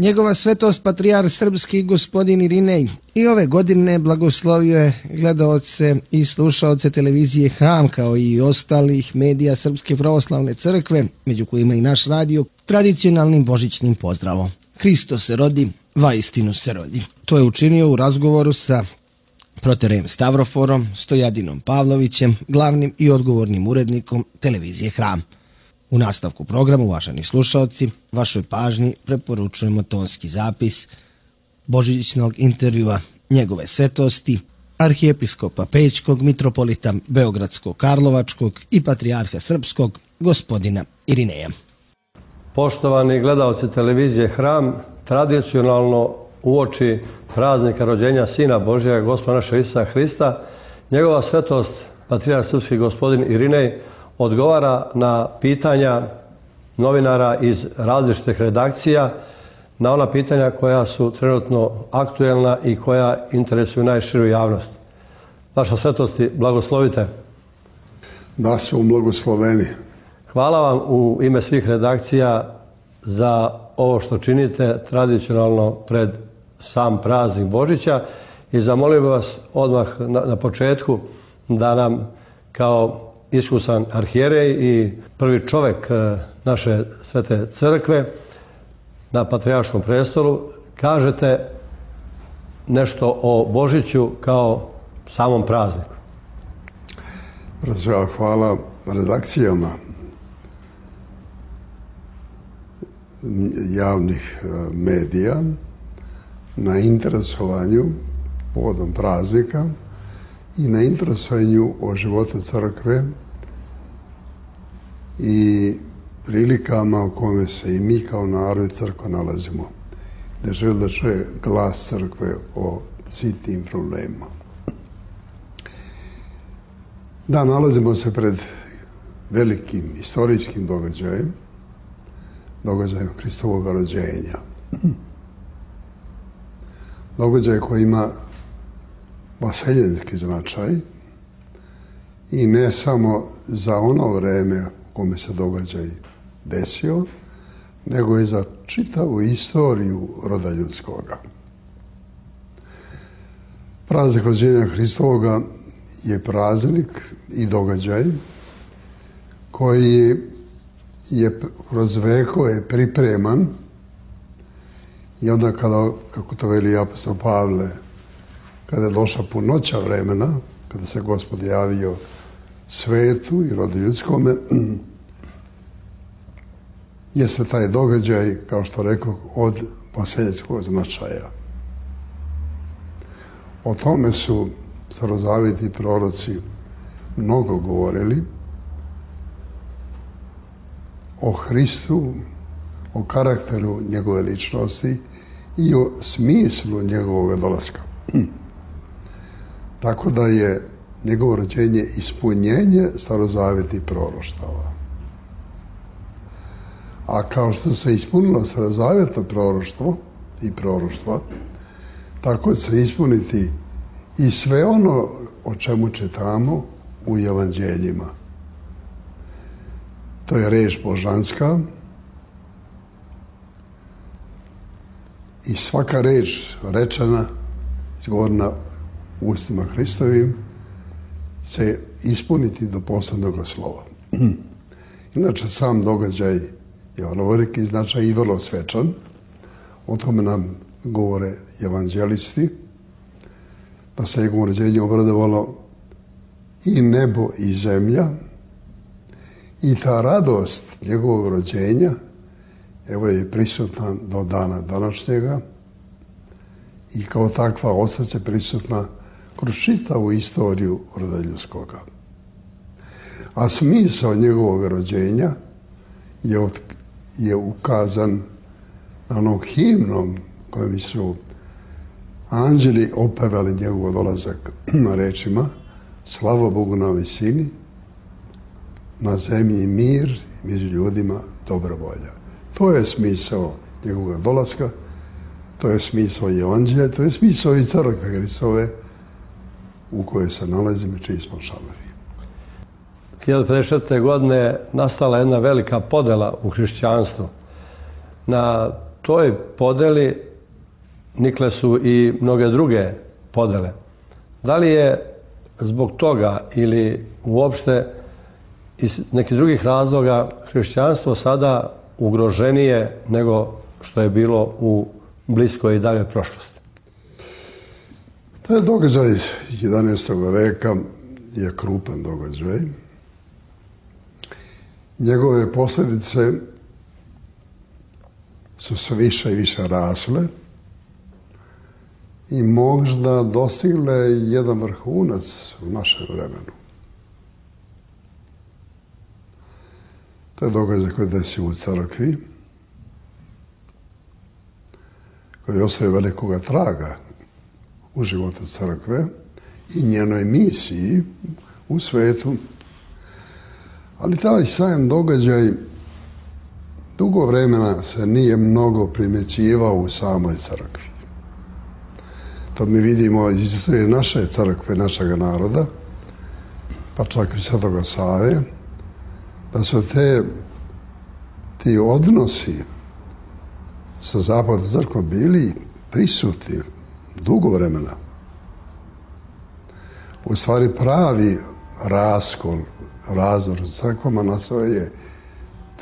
Njegova svetost patrijarh srpski gospodin Irinej i ove godine blagoslovio je gledaoce i slušaoce televizije Hram kao i ostalih medija Srpske pravoslavne crkve, među kojima i naš radio, tradicionalnim božićnim pozdravom. Hristo se rodi, vaistinu se rodi. To je učinio u razgovoru sa proterejem Stavroforom, Stojadinom Pavlovićem, glavnim i odgovornim urednikom televizije Hram. U nastavku programa, uvaženi slušalci, vašoj pažnji preporučujemo tonski zapis božićnog intervjua njegove svetosti, arhijepiskopa Pećkog, mitropolita Beogradskog, Karlovačkog i patrijarha srpskog, gospodina Irineja. Poštovani gledalci televizije Hram, tradicionalno uoči praznika rođenja Sina Božjega, Gospoda našeg Isusa Hrista, njegova svetost, patrijarh srpski gospodin Irinej, odgovara na pitanja novinara iz različitih redakcija, na ona pitanja koja su trenutno aktuelna i koja interesuju najširu javnost. Vaša svetosti, blagoslovite. Da su blagosloveni. Hvala vam u ime svih redakcija za ovo što činite tradicionalno pred sam praznik Božića i zamolio bih vas odmah na početku da nam kao iskusan arhijerej i prvi čovjek naše svete crkve na patrijarškom prestolu kažete nešto o Božiću kao samom prazniku. Hvala redakcijama javnih medija na interesovanju povodom praznika i na interesovanju o životu crkve i prilikama u kome se i mi kao narod i crkva nalazimo. Da želi da čuje glas crkve o svim tim problemima. Da, nalazimo se pred velikim istorijskim događajem Hristovog rođenja. Događaj koji ima vaseljenski značaj i ne samo za ono vreme u kome se događaj desio, nego i za čitavu istoriju roda ljudskoga. Praznik rođenja Hristovoga je praznik i događaj koji je kroz vekove pripreman i onda kada, kako to veli apostol Pavle, kada je došla punoća vremena, kada se Gospod javio svetu i rodu ljudskome, jeste taj događaj, kao što rekao, od vaseljenskog značaja. O tome su starozavjetni proroci mnogo govorili, o Hristu, o karakteru njegove ličnosti i o smislu njegovog dolaska. Tako da je njegovo rođenje ispunjenje starozavjetnih proroštava. A kao što se ispunilo starozavjetno proroštvo i proroštva, tako će se ispuniti i sve ono o čemu čitamo u evanđeljima. To je reč božanska i svaka reč rečena, izgovorena ustima Hristovim, će ispuniti do poslednjeg slova. Inače, sam događaj je vrlo veliki značaj i vrlo svečan. O tome nam govore evanđelisti, da se njegovom rođenju obradovalo i nebo i zemlja, i ta radost njegovog rođenja, evo je prisutna do dana današnjega i kao takva ostaće prisutna kroz čitavu istoriju roda ljudskoga. A smisao njegovog rođenja je ukazan na onom himnom kojim su anđeli opevali njegov dolazak na rečima: slava Bogu na visini, na zemlji mir, među ljudima dobra volja. To je smisao njegovog dolaska, to je smisao evanđelja, to je smisao i crkve Hristove u kojoj se nalazimo, čiji smo članovi. 1956. godine nastala jedna velika podela u hrišćanstvu na toj podeli nikle su i mnoge druge podele. Da li je zbog toga ili uopšte iz nekih drugih razloga hrišćanstvo sada ugroženije nego što je bilo u bliskoj i daljoj prošlosti? Taj događaj 11. veka je krupan događaj. Njegove posljedice su sve više i više rasle i možda dostigle jedan vrhunac u našem vremenu. To je događaj koji desi u crkvi, koji ostaje velikoga traga u životu crkve i njenoj misiji u svetu. Ali taj sam događaj dugo vremena se nije mnogo primjećivao u samoj crkvi. To mi vidimo iz istorije naše crkve, našeg naroda, pa čak i Svetoga Save, da su ti odnosi sa zapadnom crkvom bili prisutni dugo vremena. U stvari pravi razdor crkvama nastao je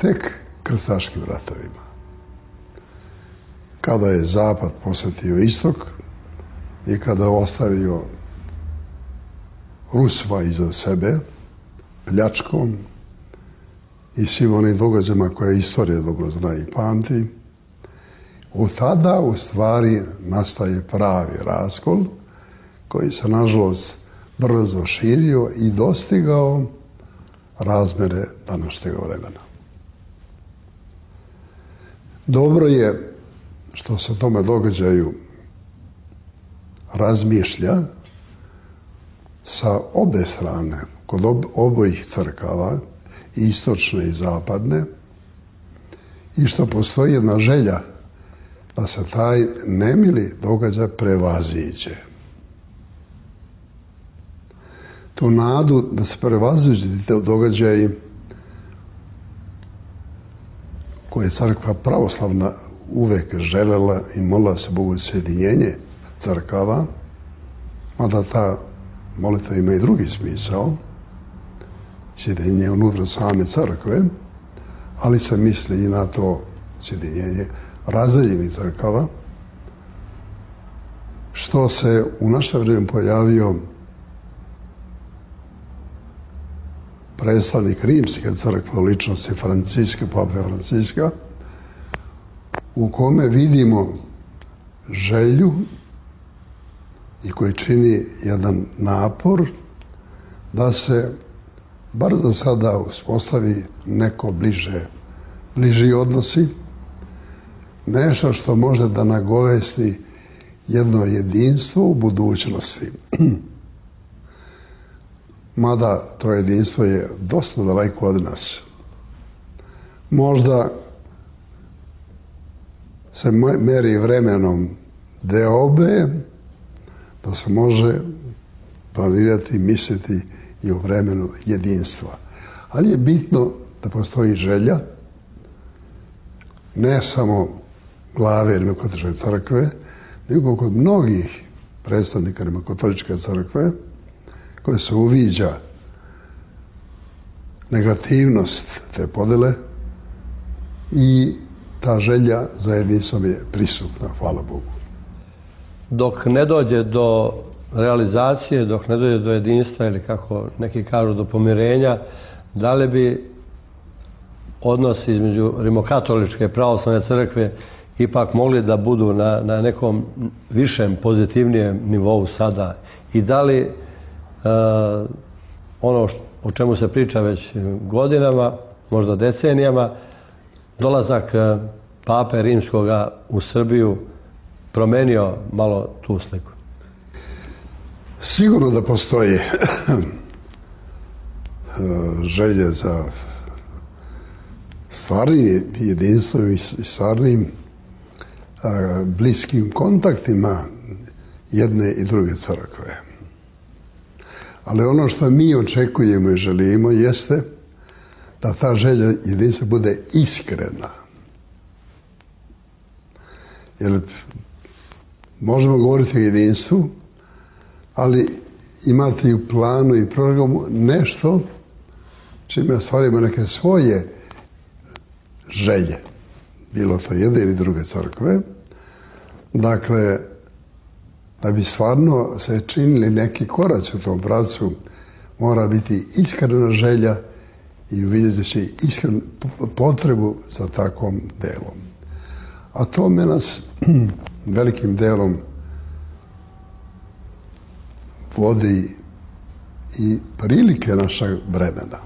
tek krstaškim ratovima. Kada je zapad posjetio istok i kada je ostavio Rusva iza sebe pljačkom i svim onim događajima koje istorija dobro zna i pamti, od tada u stvari nastaje pravi raskol koji se nažalost brzo širio i dostigao razmere današnjeg vremena. Dobro je što se o tome događaju razmišlja sa obe strane, kod obojih crkava, istočne i zapadne, i što postoji jedna želja da se taj nemili događaj prevaziđe. Tu nadu da se prevaziđe te događaji koje je crkva pravoslavna uvek želela i molila se Bogu sjedinjenje crkava, mada ta molitva ima i drugi smisao, sjedinjenje unutra same crkve, ali se misli i na to sjedinjenje razdeljenih crkava, što se u naše vrijeme pojavio predstavnik rimske crkve u ličnosti Pape Franciska, u kome vidimo želju i koji čini jedan napor da se bar za sada uspostavi neko bliži odnosi, nešto što može da nagovesti jedno jedinstvo u budućnosti. Mada to jedinstvo je dosta daleko od nas. Možda se meri vremenom deobe, da se može planirati, misliti i u vremenu jedinstva. Ali je bitno da postoji želja, ne samo glave Rimokatoličke crkve, nego kod mnogih predstavnika Rimokatoličke crkve, koje se uviđa negativnost te podele i ta želja za jedinstvom je prisutna, hvala Bogu. Dok ne dođe do realizacije, dok ne dođe do jedinstva ili kako neki kažu do pomirenja, da li bi odnosi između Rimokatoličke pravoslavne crkve ipak mogli da budu na nekom višem, pozitivnijem nivou sada? I da li ono o čemu se priča već godinama, možda decenijama, dolazak Pape Rimskoga u Srbiju promenio malo tu sliku? Sigurno da postoji želje za stvarnim jedinstvom i stvarnim bliskim kontaktima jedne i druge crkve. Ali ono što mi očekujemo i želimo jeste da ta želja jedinstva bude iskrena. Jer možemo govoriti o jedinstvu, ali imati i u planu i programu nešto čime ostvarimo neke svoje želje, bilo to jedne ili druge crkve. Dakle, da bi stvarno se činili neki koraci u tom pravcu, mora biti iskrena želja i uvidjeti iskrenu potrebu za takvom delom. A tome nas velikim delom vodi i prilike našeg vremena.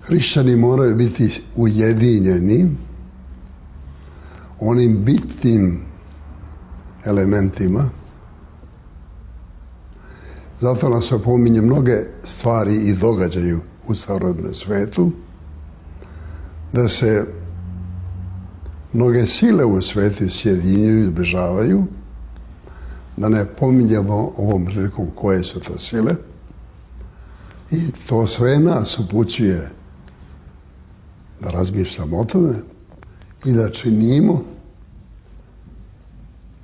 Hrišćani moraju biti ujedinjeni onim bitnim elementima. Zato nas opominje mnoge stvari i događaju u starodavnom svetu, da se mnoge sile u svetu sjedinjuju i zbližavaju, da ne pominjemo ovom prilikom koje su to sile, i to sve nas upućuje da razmišljamo o tome i da činimo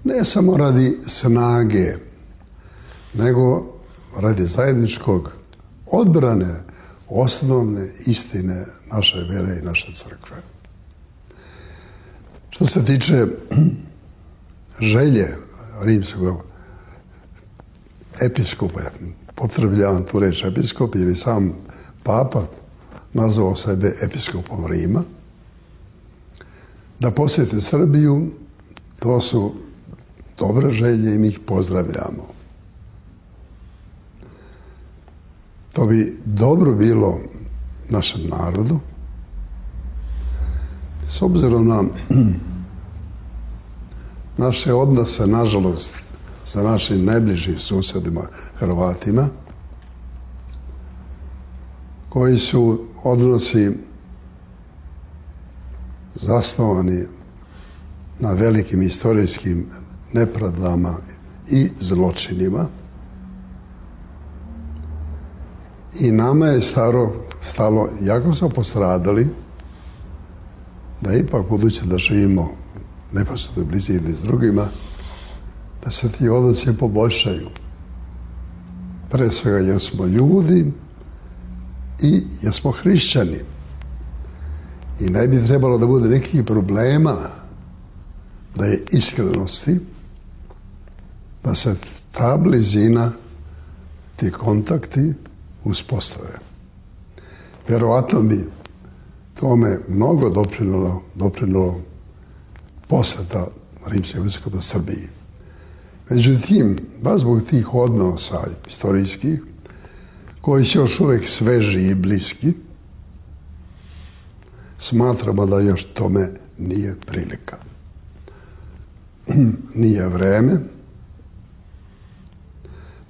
ne samo radi snage, nego radi zajedničkog odbrane osnovne istine naše vere i naše crkve. Što se tiče želje rimskog episkopa, potrebljavam tu reč episkop, jer je sam papa nazvao sebe episkopom Rima, da posjete Srbiju, to su dobre želje i mi ih pozdravljamo. To bi dobro bilo našem narodu, s obzirom na naše odnose, nažalost, sa našim najbližim susjedima, Hrvatima, koji su odnosi zasnovani na velikim istorijskim nepravdama i zločinima. I nama je stalo, jako smo postradali, da ipak budući da živimo neposredno blizini s drugima, da se ti odnosi poboljšaju. Pre svega jer smo ljudi i jer smo hrišćani. I ne bi trebalo da bude nekih problema, da je iskrenosti, da se ta blizina, ti kontakti uspostave. Vjerovatno bi tome mnogo doprinilo posjeta rimskog episkopa Srbiji. Međutim, baš zbog tih odnosa istorijskih, koji su još uvijek sveži i bliski, smatramo da još tome nije prilika. Nije vreme.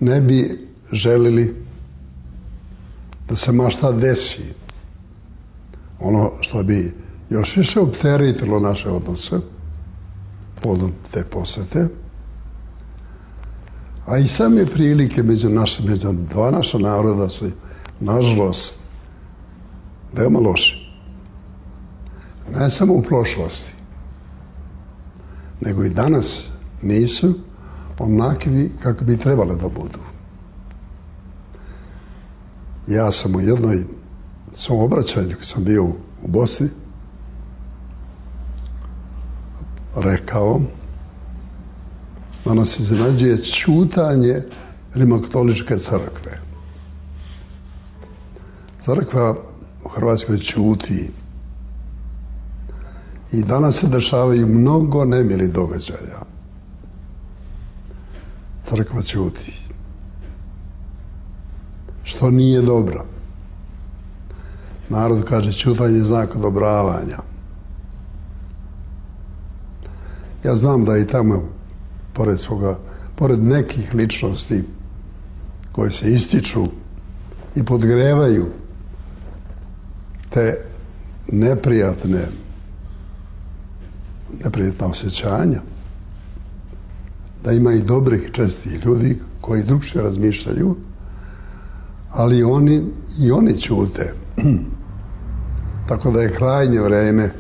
Ne bi želili da se ma šta desi. Ono što bi još više opteretilo naše odnose povodom te posete, a i same prilike među dva naša naroda su, nažalost, veoma loši. Ne samo u prošlosti, nego i danas nisu onakvi kako bi trebale da budu. Ja sam u jednom svom obraćanju, kad sam bio u Bosni, rekao da nas iznenađuje ćutanje rimokatoličke crkve. Crkva u Hrvatskoj ćuti. I danas se dešavaju mnogo nemili događaja. Crkva ćuti. Što nije dobro. Narod kaže ćutanje je znak odobravanja. Ja znam da i tamo, pored nekih ličnosti koje se ističu i podgrevaju te neprijatna osjećanja, da ima i dobrih, čestih ljudi koji drugčije razmišljaju, ali oni ćute. Tako da je krajnje vreme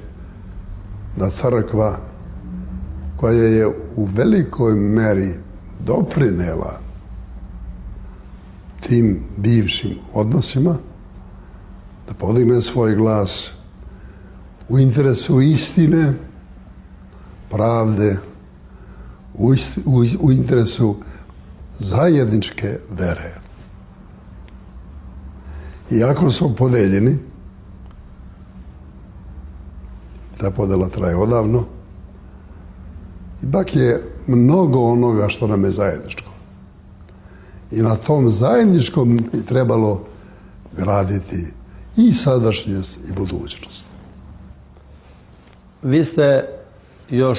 da crkva koja je u velikoj meri doprinela tim bivšim odnosima, da podigne svoj glas u interesu istine, pravde, u interesu zajedničke vere. Iako su podeljeni, ta podela traje odavno, ipak je mnogo onoga što nam je zajedničko. I na tom zajedničkom bi trebalo graditi i sadašnjost i budućnost. Vi ste još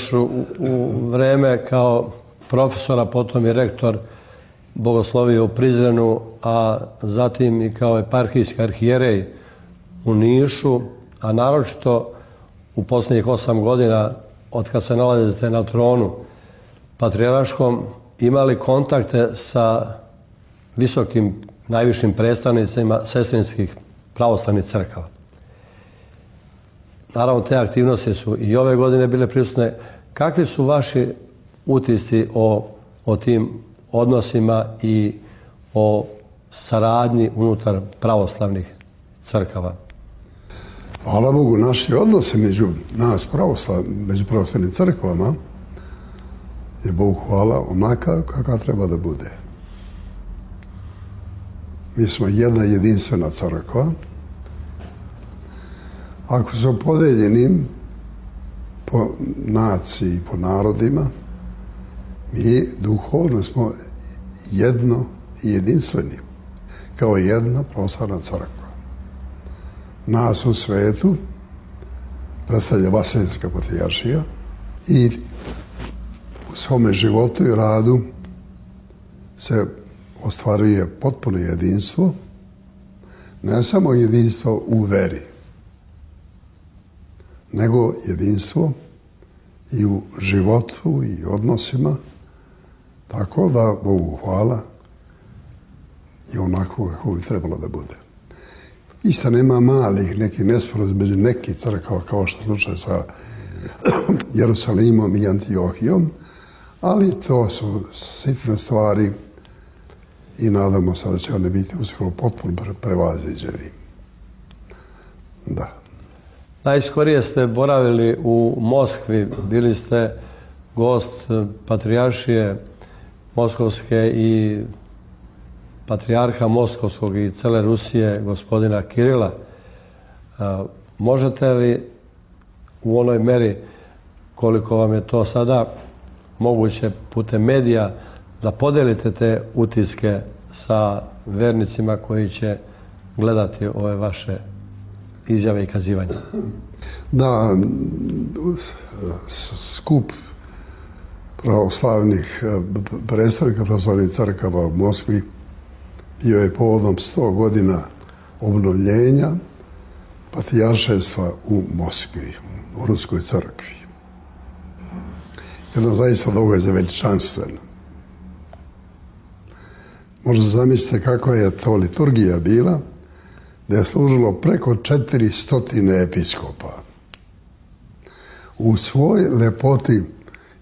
u vreme kao profesora, potom i rektor bogoslovije u Prizrenu, a zatim i kao eparhijski arhijerej u Nišu, a naročito u posljednjih 8 godina od kad se nalazite na tronu patrijarškom, imali kontakte sa visokim, najvišim predstavnicima sestrinskih pravoslavnih crkava. Naravno, te aktivnosti su i ove godine bile prisutne. Kakvi su vaši utisci o tim odnosima i o saradnji unutar pravoslavnih crkava? Hvala Bogu, naši odnosi među pravoslavnim crkvama je, Bogu hvala, onaka kakva treba da bude. Mi smo jedna jedinstvena crkva. Ako su podeljeni po naciji i po narodima, mi duhovno smo jedno i jedinstveni, kao jedna pravoslavna crkva. Nas u svetu predstavlja Vaseljenska patrijaršija i u svome životu i radu se ostvaruje potpuno jedinstvo, ne samo jedinstvo u veri, nego jedinstvo i u životu i odnosima, tako da, Bogu hvala, je onako kako bi trebalo da bude. Isto nema malih nekih nesporazuma među nekih crkava, kao što slučaj sa Jerusalimom i Antiohijom, ali to su sitne stvari i nadamo se da će one biti uskoro potpuno prevaziđeni. Da. Najskorije ste boravili u Moskvi, bili ste gost patrijaršije Moskovske i patrijarha Moskovskog i cele Rusije, gospodina Kirila. Možete li u onoj meri koliko vam je to sada moguće putem medija da podelite te utiske sa vernicima koji će gledati ove vaše izjave i kazivanja? Da, skup pravoslavnih predstavnika pravoslavnih crkava u Moskvi bio je povodom 100 godina obnovljenja patrijarševstva u Moskvi, u Ruskoj crkvi. Jedno zaista događaj veličanstveno. Možda zamislite kako je to liturgija bila, da je služilo preko 400 episkopa. U svoj lepoti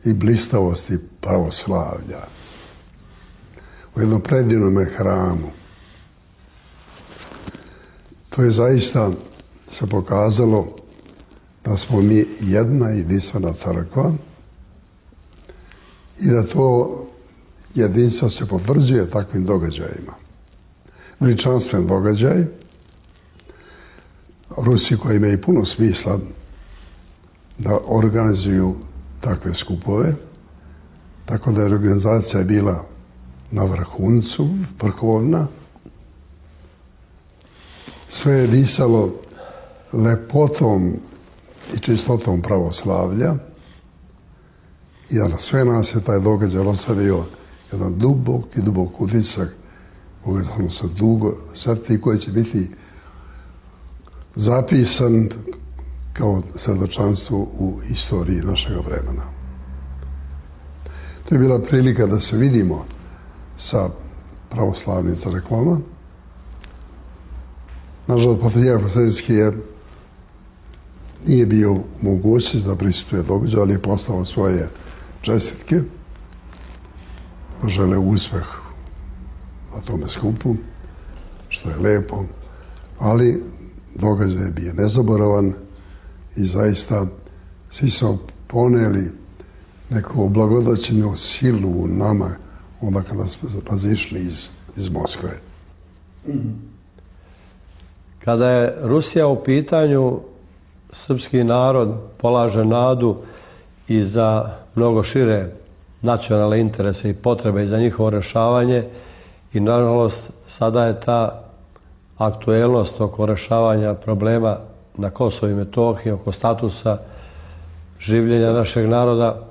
i blistavosti pravoslavlja. U jednom predivnom hramu. To je zaista se pokazalo da smo mi jedna jedinstvena crkva i da to jedinstvo se potvrđuje takvim događajima. Veličanstven događaj. Rusi koji imaju puno smisla da organizuju takve skupove, tako da je organizacija bila na vrhuncu, vrhovna. Sve je disalo lepotom i čistotom pravoslavlja i na sve nas je taj događaj ostavio jedan dubok utisak koga smo se dugo srti, koji će biti zapisan kao svedočanstvo u istoriji našeg vremena. To je bila prilika da se vidimo sa pravoslavnim crkvama. Nažalost, patrijarh Vaseljenski je nije bio mogućnost da prisutuje događaj, ali je poslao svoje čestitke. Žele uspeh na tome skupu, što je lepo, ali događaj je bio nezaboravan i zaista svi su poneli neku oblagodaćenu silu u nama onda kada smo izišli iz Moskve. Kada je Rusija u pitanju, srpski narod polaže nadu i za mnogo šire nacionalne interese i potrebe i za njihovo rešavanje i nažalost sada je ta aktuelnost oko rešavanja problema na Kosovu i Metohiji, oko statusa življenja našeg naroda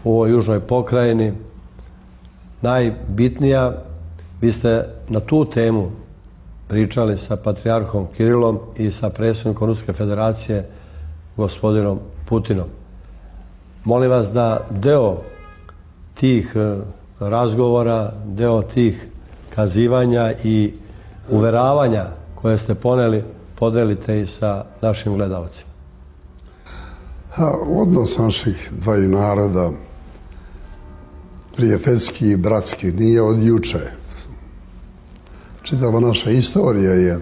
u ovoj južnoj pokrajini najbitnija. Vi ste na tu temu pričali sa patrijarhom Kirilom i sa predsjednikom Ruske federacije gospodinom Putinom. Molim vas da deo tih razgovora, deo tih kazivanja i uveravanja koje ste poneli, podelite i sa našim gledalcima. Odnos naših dvaju naroda, prijateljski i bratski, nije od juče. Čitava naša istorija je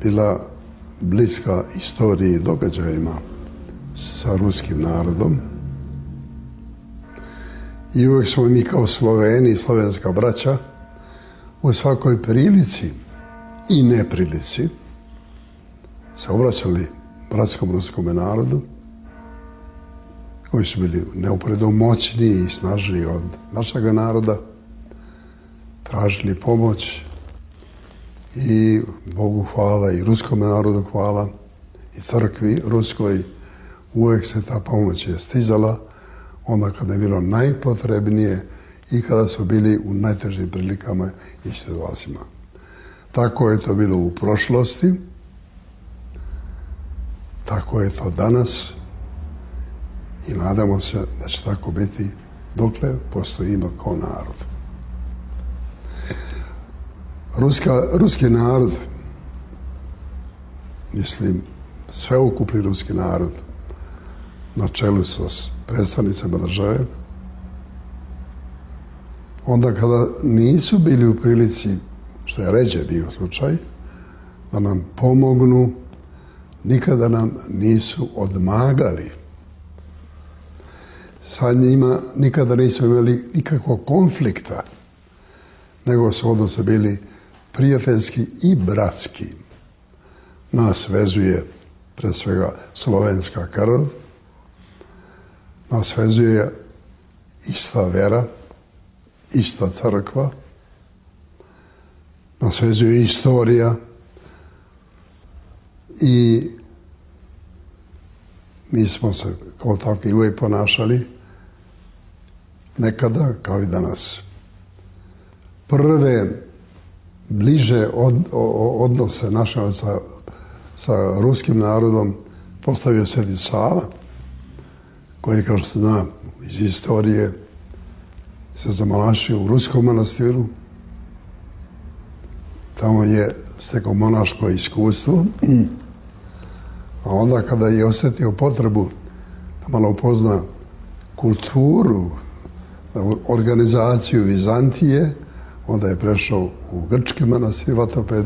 bila bliska istoriji i događajima sa ruskim narodom. I uvijek smo mi kao Sloveni i slovenska braća u svakoj prilici i neprilici se obraćali bratskom ruskom narodu, koji su bili neuporedo moćniji i snažniji od našeg naroda, tražili pomoć i Bogu hvala i ruskom narodu hvala i crkvi ruskoj. Uvijek se ta pomoć je stizala onda kada je bilo najpotrebnije i kada su bili u najtežim prilikama i situacijama. Tako je to bilo u prošlosti, tako je to danas i nadamo se da će tako biti dokle postojimo kao narod. Ruski narod, mislim, sveukupni ruski narod, na čelu sa predstavnicama države, onda kada nisu bili u prilici, što je ređe bio slučaj, da nam pomognu, nikada nam nisu odmagali. Sa njima nikada nisu imali nikakvog konflikta, nego su odnose bili prijateljski i bratski. Nas vezuje pre svega slovenska krv, nas vezuje ista vera, ista crkva, nas vezuje istorija i mi smo se kao takvi uvijek ponašali, nekada kao i danas. Prve bliže odnose naše sa ruskim narodom postavio Sveti Sava, koji, kao što zna iz istorije, se zamalašio u ruskom manastiru. Tamo je stekao monaško iskustvo, a onda kada je osjetio potrebu da malo upozna kulturu, organizaciju Vizantije, onda je prešao u grčki manastir Vatoped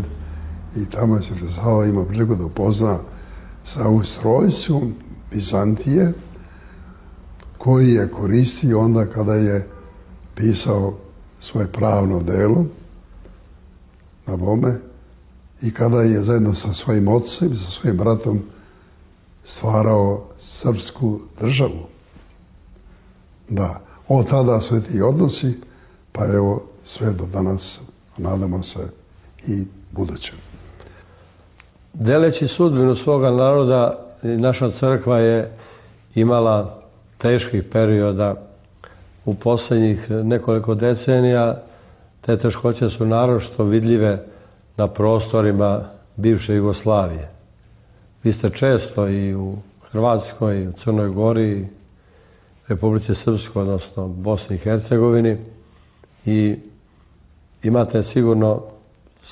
i tamo je Sveti Sava imao priliku da upozna sa ustrojstvom Vizantije, koji je koristio onda kada je pisao svoje pravno delo na bome i kada je zajedno sa svojim ocem i sa svojim bratom stvarao srpsku državu. Da, od tada sve ti odnosi, pa evo sve do danas, nadamo se i budućem. Deleći sudbinu svoga naroda, naša crkva je imala teških perioda u posljednjih nekoliko decenija. Te teškoće su naročito vidljive na prostorima bivše Jugoslavije. Vi ste često i u Hrvatskoj, i u Crnoj Gori, Republici Srpskoj, odnosno Bosni i Hercegovini, i imate sigurno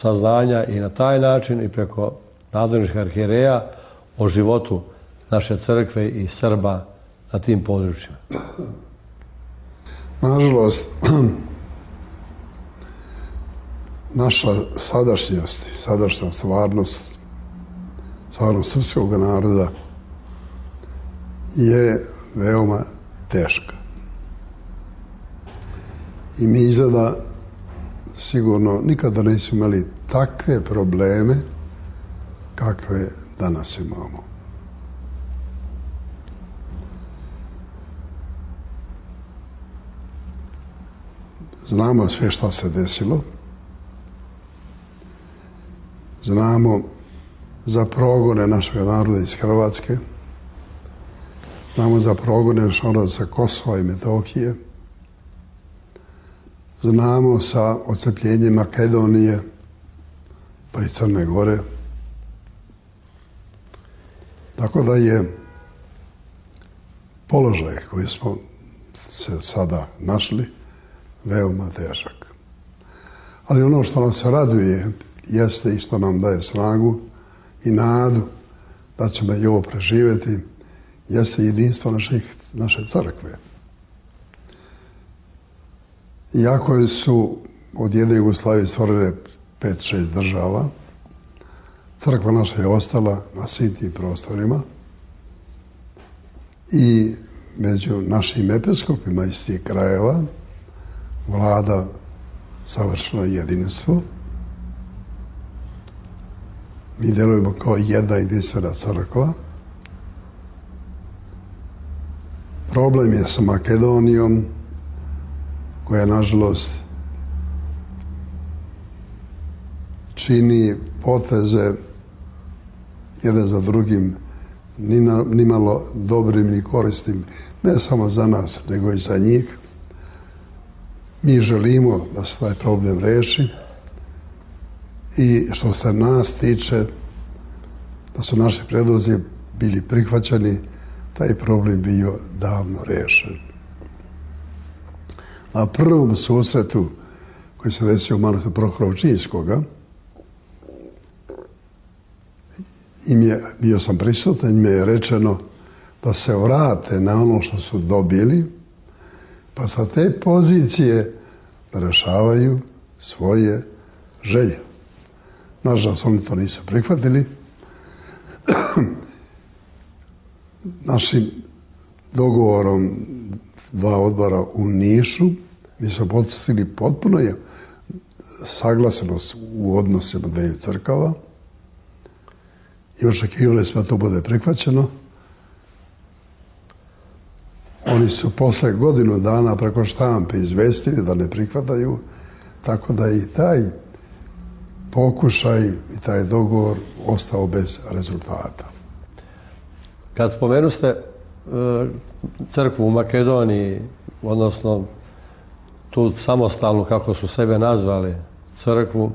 saznanja i na taj način i preko nadležnih arhijereja o životu naše crkve i Srba na tim područjima? Nažalost, naša sadašnjost, sadašnja stvarnost srpskog naroda je veoma teška. I mi izgleda sigurno nikada nismo imali takve probleme kakve danas imamo. Znamo sve šta se desilo. Znamo za progone našeg naroda iz Hrvatske. Znamo za progone našeg naroda sa Kosova i Metohije. Znamo sa odcepljenjem Makedonije pa i Crne Gore. Tako da je položaj koji smo se sada našli veoma težak. Ali ono što nas raduje jeste i što nam daje snagu i nadu da ćemo i ovo preživjeti, jeste jedinstvo naše crkve. Iako su od jedne Jugoslavije stvorene 5-6 država, crkva naša je ostala na svim tim prostorima i među našim episkopima iz tih krajeva vlada savršeno jedinstvo. Mi delujemo kao jedna jedinstvena crkva. Problem je sa Makedonijom, koja nažalost čini poteze jedan za drugim nimalo dobrim ni korisnim, ne samo za nas, nego i za njih. Mi želimo da se taj problem reši i što se nas tiče, da su naši predlozi bili prihvaćeni, taj problem bio davno rešen. Na prvom susretu koji se desio u manastiru Prohora Pčinjskoga, bio sam prisutan i mi je rečeno da se vrate na ono što su dobili, pa sa te pozicije da rešavaju svoje želje. Nažalost, oni to nisu prihvatili. Našim dogovorom dva odbora u Nišu mi smo postigli potpuno saglasenost u odnosima dveju crkava i očekivali smo da to bude prihvaćeno. Oni su posle godinu dana preko štampe izvestili da ne prihvataju, tako da i taj pokušaj i taj dogovor ostao bez rezultata. Kad spomenuste crkvu u Makedoniji, odnosno tu samostalnu, kako su sebe nazvali, crkvu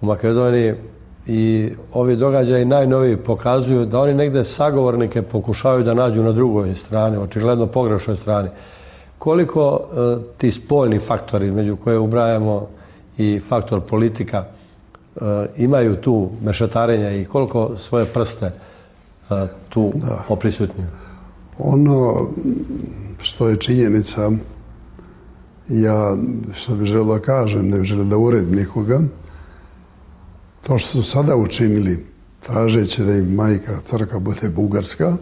u Makedoniji, i ovi događaji najnoviji pokazuju da oni negde sagovornike pokušavaju da nađu na drugoj strani, očigledno pogrešnoj strani. Koliko ti spoljni faktori, među koje ubrajamo i faktor politika, imaju tu mešetarenja i koliko svoje prste tu oprisutnju? Ono što je činjenica, ja što bih želeo da kažem, ne želim da uredim nikoga, to što su sada učinili, tražeći da im majka crkva bude Bugarska,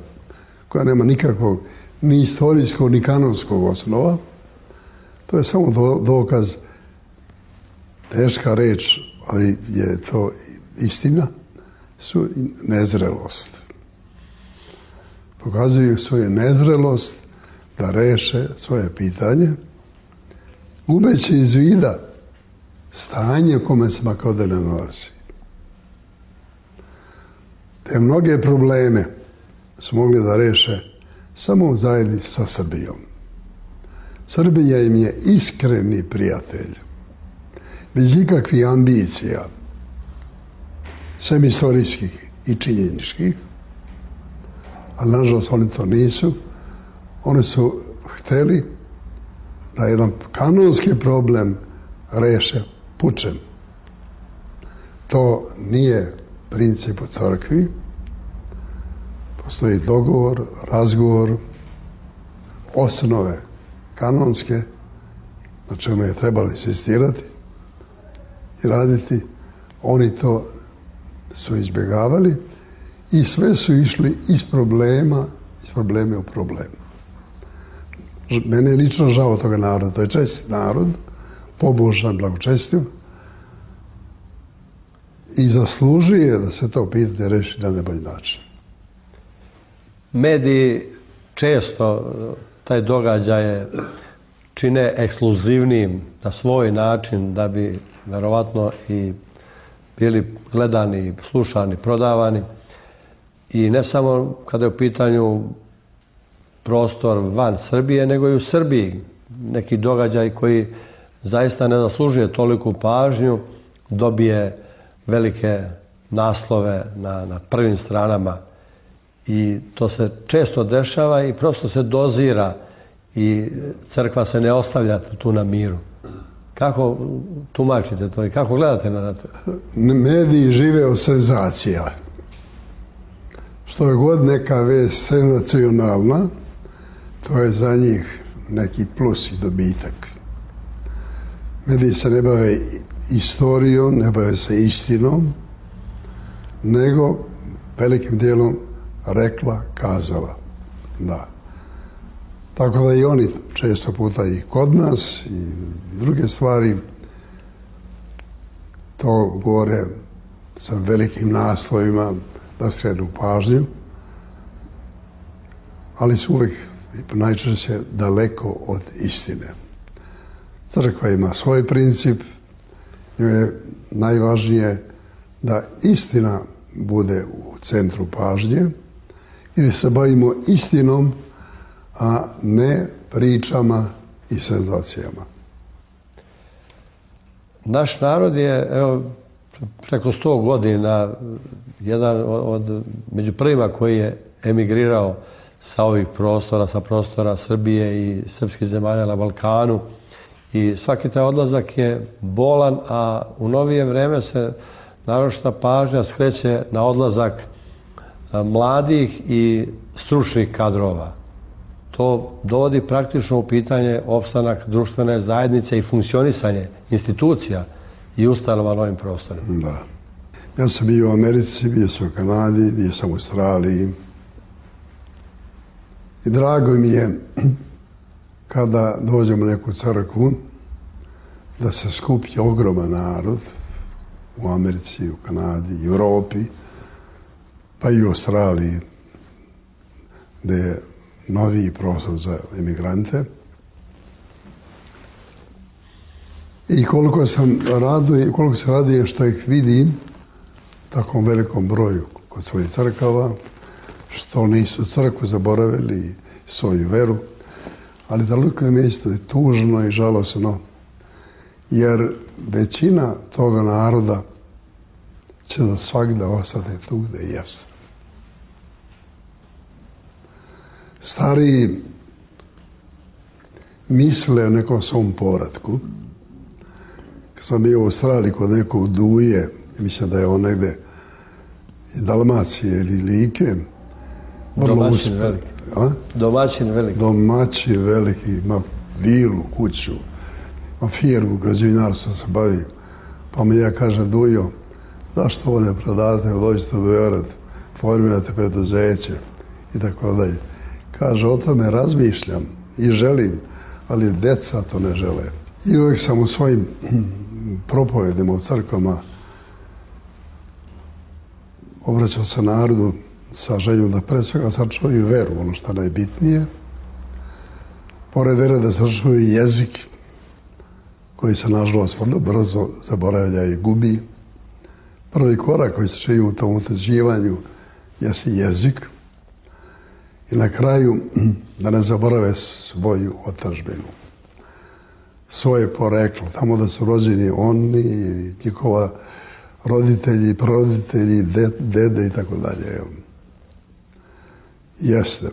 koja nema nikakvog ni istorijskog ni kanonskog osnova, to je samo dokaz, teška reč, ali je to istina, su nezrelost. Pokazuju svoju nezrelost da reše svoje pitanje, gubeći iz vida stanje u kome se Makedonija nalazi. Te mnoge probleme su mogli da reše samo u zajednici sa Srbijom. Srbija im je iskreni prijatelj, bez ikakvih ambicija, sem istorijskih i činjeničkih, ali nažalost oni to nisu. Oni su hteli da jedan kanonski problem reše pučem. To nije princip u crkvi, postoji dogovor, razgovor, osnove kanonske, na čemu je trebalo insistirati i raditi. Oni to su izbjegavali i sve su išli iz problema u problemu. Mene je lično žao toga naroda. To je čestit narod, pobožan, blagočestiv i zaslužuje da se to pitanje reši na najbolji način. Mediji često taj događaj čine ekskluzivnim na svoj način da bi verovatno i bili gledani, slušani, prodavani. I ne samo kada je u pitanju prostor van Srbije, nego i u Srbiji. Neki događaj koji zaista ne zaslužuje toliku pažnju, dobije velike naslove na prvim stranama. I to se često dešava i prosto se dozira i crkva se ne ostavlja tu na miru. Kako tumačite to i kako gledate na to? Mediji žive od senzacija. Što je god neka vest senzacionalna, to je za njih neki plus i dobitak. Mediji se ne bave istorijom, ne bave se istinom, nego velikim dijelom rekla, kazala. Da. Tako da i oni često puta i kod nas i druge stvari to govore sa velikim naslovima da skrenu pažnju, ali su uvijek najčešće daleko od istine. Crkva ima svoj princip, njoj je najvažnije da istina bude u centru pažnje ili se bavimo istinom, a ne pričama i senzacijama. Naš narod je, evo, preko 100 godina jedan od među prvima koji je emigrirao sa ovih prostora, sa prostora Srbije i srpskih zemalja na Balkanu. I svaki taj odlazak je bolan, a u novije vreme se naročita pažnja skreće na odlazak mladih i stručnih kadrova. To dovodi praktično u pitanje opstanak društvene zajednice i funkcionisanje institucija i ustanova na ovim prostorima. Da. Ja sam bio u Americi, bio sam u Kanadi, bio sam u Australiji. I drago mi je kada dođemo u neku crkvu da se skupi ogroman narod u Americi, u Kanadi, u Europi, pa i u Australiji, gde je noviji prostor za emigrante. I koliko se radujem što ih vidim takvom velikom broju kod svojih crkava, što nisu crkvu zaboravili svoju veru, ali daleko je mjesto je tužno i žalosno, jer većina toga naroda će za svagda ostati tu gde jesu. Stariji misle o nekom svom povratku. Kad sam bio u Australiji kod nekog Duje, mislim da je on negde iz Dalmacije ili Like. Domaćin veliki. Domaćin veliki. Domaćin veliki, ima vilu, kuću, ima firmu, građevinarstvo se bavi. Pa mi ja kažem, Dujo, zašto ovo ne prodate, dođete u Beograd, formirate preduzeće i tako dalje. Kaže, o tome razmišljam i želim, ali deca to ne žele. I uvijek sam u svojim propovedima u crkvama obraćao se narodu sa željom da pre svega sačuvaju veru, ono što je najbitnije. Pored vere da sačuvaju jezik, koji se nažalost vrlo brzo zaboravlja i gubi. Prvi korak koji se čini u tom utvrđivanju jeste jezik. I na kraju da ne zaborave svoju otadžbinu, svoje poreklo, tamo da su rođeni oni, njihova roditelji, proroditelji, dede i tako dalje. Jeste.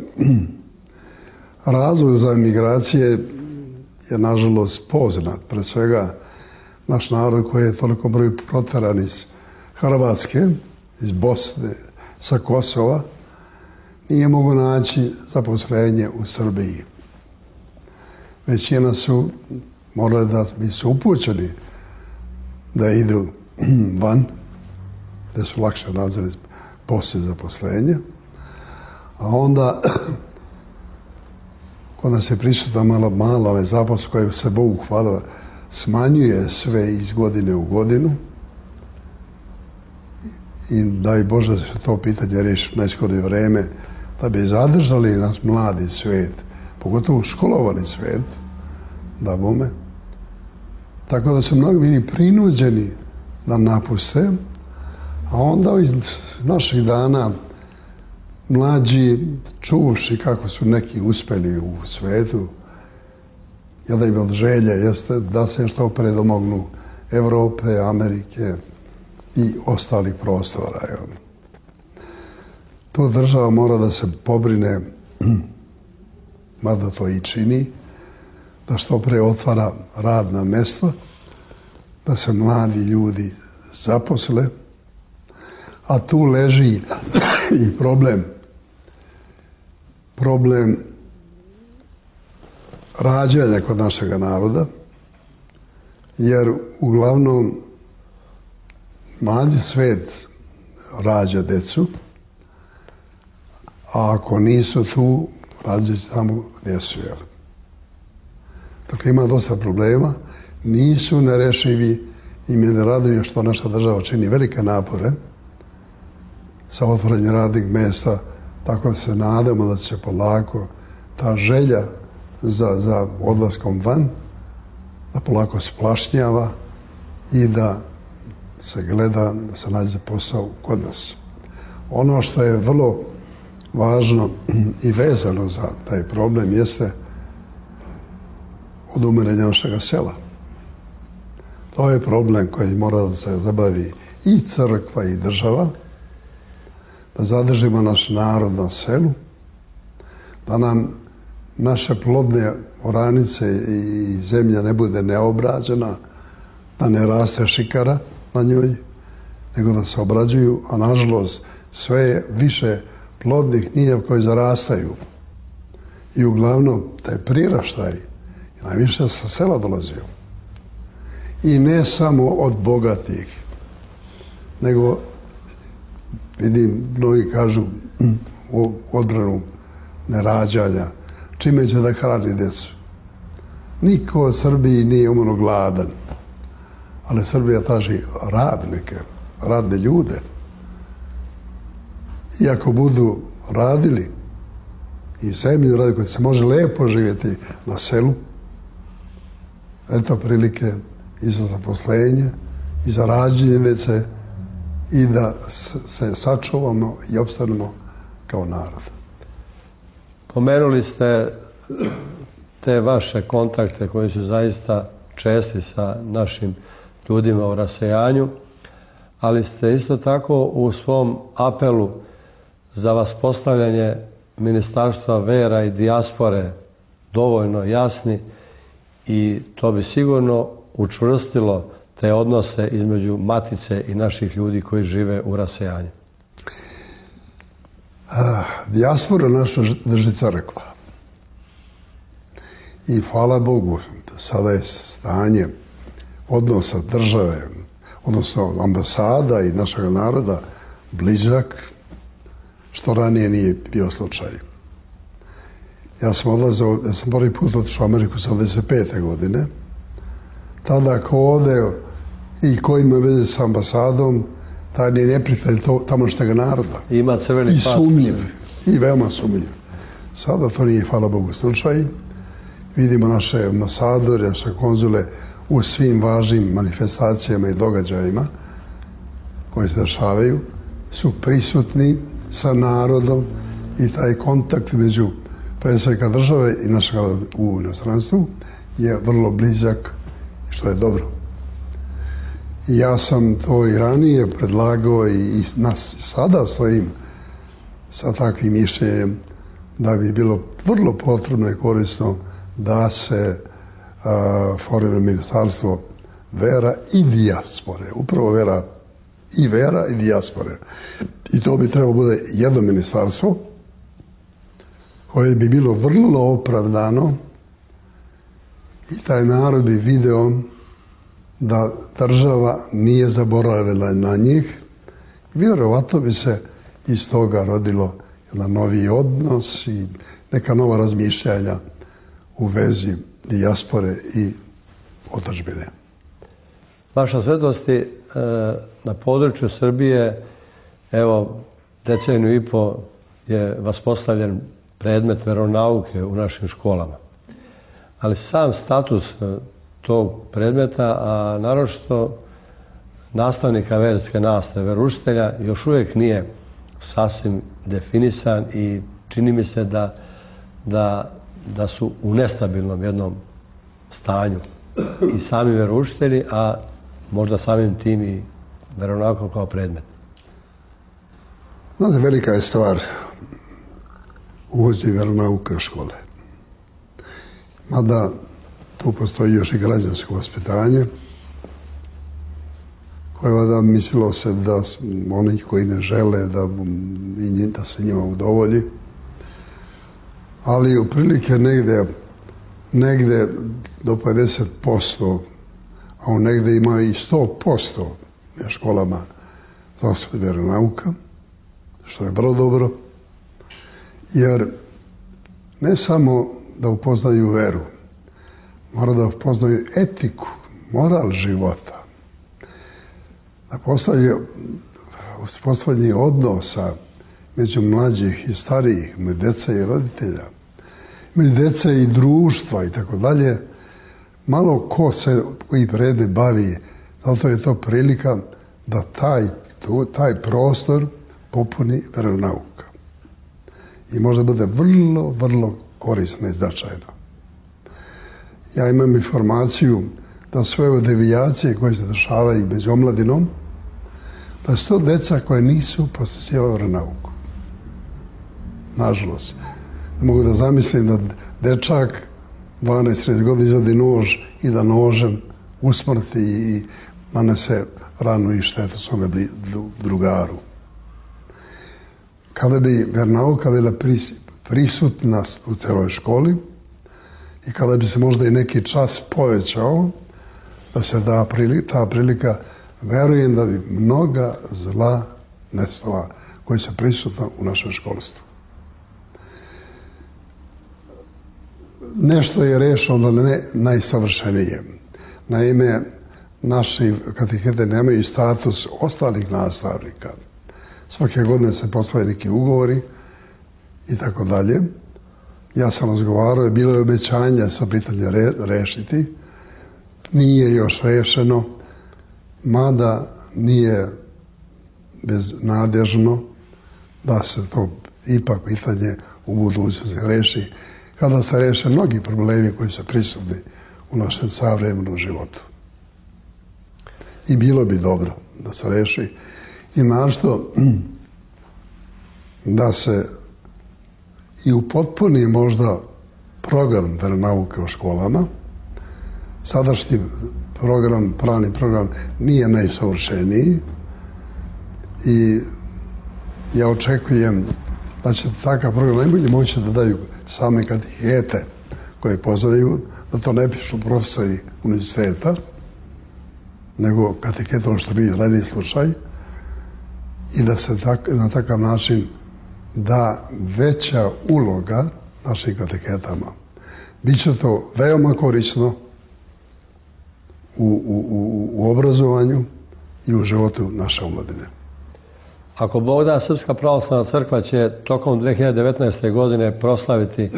Razlog za emigracije je nažalost poznat. Pre svega naš narod koji je toliko broj proteran iz Hrvatske iz Bosne, sa Kosova, nije mogu naći zaposlenje u Srbiji. Većina su morali da su upućeni da idu van, da su lakše nađeli poslije zaposlenja. A onda, kod nas je prisutna malo nezaposlenost koja se Bogu hvala smanjuje sve iz godine u godinu. I daj Bože da se to pitanje riješi u najskorije vreme, da bi zadržali nas mladi svijet, pogotovo školovani svijet, da bome. Tako da su mnogi bili prinuđeni da napuste, a onda iz naših dana mlađi čuši kako su neki uspjeli u svijetu, jedna im od želje jeste da se što pre domognu Evrope, Amerike i ostalih prostora. Tu država mora da se pobrine, mada to i čini, da što pre otvara radna mjesta, da se mladi ljudi zaposle, a tu leži i problem rađanja kod našega naroda, jer uglavnom mladi svijet rađa decu, a ako nisu tu, rađa samo gdje su. Dakle, ima dosta problema, nisu nerešivi i mi ne raduju što naša država čini velike napore sa otvorenjem radnih mjesta, tako da se nadamo da će polako ta želja za odlaskom van da polako splašnjava i da se gleda da se nađe posao kod nas. Ono što je vrlo važno i vezano za taj problem jeste odumiranje našega sela. To je problem koji mora da se zabavi i crkva i država, da zadržimo naš narod na selu, da nam naše plodne oranice i zemlja ne bude neobrađena, da ne raste šikara na njoj, nego da se obrađuju, a nažalost sve je više plodnih njiva koji zarastaju. I uglavnom taj priraštaj najviše sa sela dolazio. I ne samo od bogatih, nego vidim, mnogi kažu u odbranu nerađanja, čime će da hrani djecu. Niko od Srbiji nije umrlo gladan, ali Srbija traži radnike, radne ljude. I ako budu radili i zemlju radi koji se može lepo živjeti na selu, eto prilike i za zaposlenje, i za rađenje djece, i da se sačuvamo i opstanemo kao narod. Pomenuli ste te vaše kontakte koji su zaista česti sa našim ljudima u rasejanju, ali ste isto tako u svom apelu za vaspostavljanje Ministarstva vera i dijaspore dovoljno jasni i to bi sigurno učvrstilo te odnose između matice i naših ljudi koji žive u rasejanju. Dijaspora naša drži crkva. I hvala Bogu, sada je stanje odnosa države, odnosno ambasada i našeg naroda blizak, što ranije nije bio slučaj. Ja sam prvi put otišao u Ameriku 75. godine. Tada ko ode i ko ima veze s ambasadom, taj je neprijatelj tamošnjeg naroda. Ima crveni pas. I sumnjiv. I veoma sumnjiv. Sada to nije, hvala Bogu, slučaj. Vidimo naše ambasadore, naše konzule u svim važnim manifestacijama i događajima koji se dešavaju, su prisutni sa narodom i taj kontakt među predsjednika države i našega u inostranstvu je vrlo blizak, što je dobro. I ja sam to i ranije predlagao i nas sada stojim sa takvim mišljenjem da bi bilo vrlo potrebno i korisno da se formira Ministarstvo vera i dijaspore. Upravo vera i vera i dijaspore. I to bi trebalo bude jedno ministarstvo koje bi bilo vrlo opravdano i taj narod bi video da država nije zaboravila na njih. Vjerovatno bi se iz toga rodilo jedan novi odnos i neka nova razmišljanja u vezi dijaspore i otadžbine. Vaša svetosti, na području Srbije, evo, deceniju i po je vaspostavljen predmet veronauke u našim školama. Ali sam status tog predmeta, a naročito nastavnika verske nastave, veroučitelja, još uvijek nije sasvim definisan i čini mi se da su u nestabilnom jednom stanju i sami veroučitelji, a možda samim tim i veronauka kao predmet. Znate, velika je stvar uvozi veronauke u škole. Mada tu postoji još i građansko vaspitanje, koje vada mislilo se da oni koji ne žele da se njima udovolji, ali otprilike negde do 50%, a negde ima i 100% na školama zastupi veronauka, što je vrlo dobro, jer ne samo da upoznaju veru, mora da upoznaju etiku, moral života, da postavljanje odnosa među mlađih i starijih, među deca i roditelja, među deca i društva i tako dalje. Malo ko se koji vrede bavi, zato je to prilika da taj prostor popuni veronauka. I možda bude vrlo, vrlo korisno i značajno. Ja imam informaciju da sve ove devijacije koje se dešavaju među omladinom, da su to deca koje nisu posjećivali veronauku. Nažalost. Ne mogu da zamislim da dečak 12-13 godina izvadi nož i da nožem usmrti i nanese ranu i štetu svome drugaru. Kada bi veronauka bila prisutna u celoj školi i kada bi se možda i neki čas povećao, da se da ta prilika, verujem da bi mnoga zla nestala koja su prisutna u našem školstvu. Nešto je rešeno, da ne najsavršenije. Naime, naši katehete nemaju status ostalih nastavnika. Svake godine se postavljaju neki ugovori i tako dalje. Ja sam razgovarao, bilo je obećanje sa pitanje rešiti. Nije još rešeno, mada nije beznadežno da se to ipak pitanje u budućnosti reši, kada se reše mnogi problemi koji su prisutni u našem savremenom životu. I bilo bi dobro da se reši i našto da se i upotpuni možda program veronauke u školama. Sadašnji program, pravni program, nije najsavršeniji i ja očekujem da će takav program najbolje moći da daju same katehete koje pozivaju, da to ne pišu profesori univerziteta, nego kateheta, ono što bi radi slučaj, i da se na takav način da veća uloga našim katehetama. Biće to veoma korisno u obrazovanju i u životu naše omladine. Ako Bog da, Srpska pravoslavna crkva će tokom 2019. godine proslaviti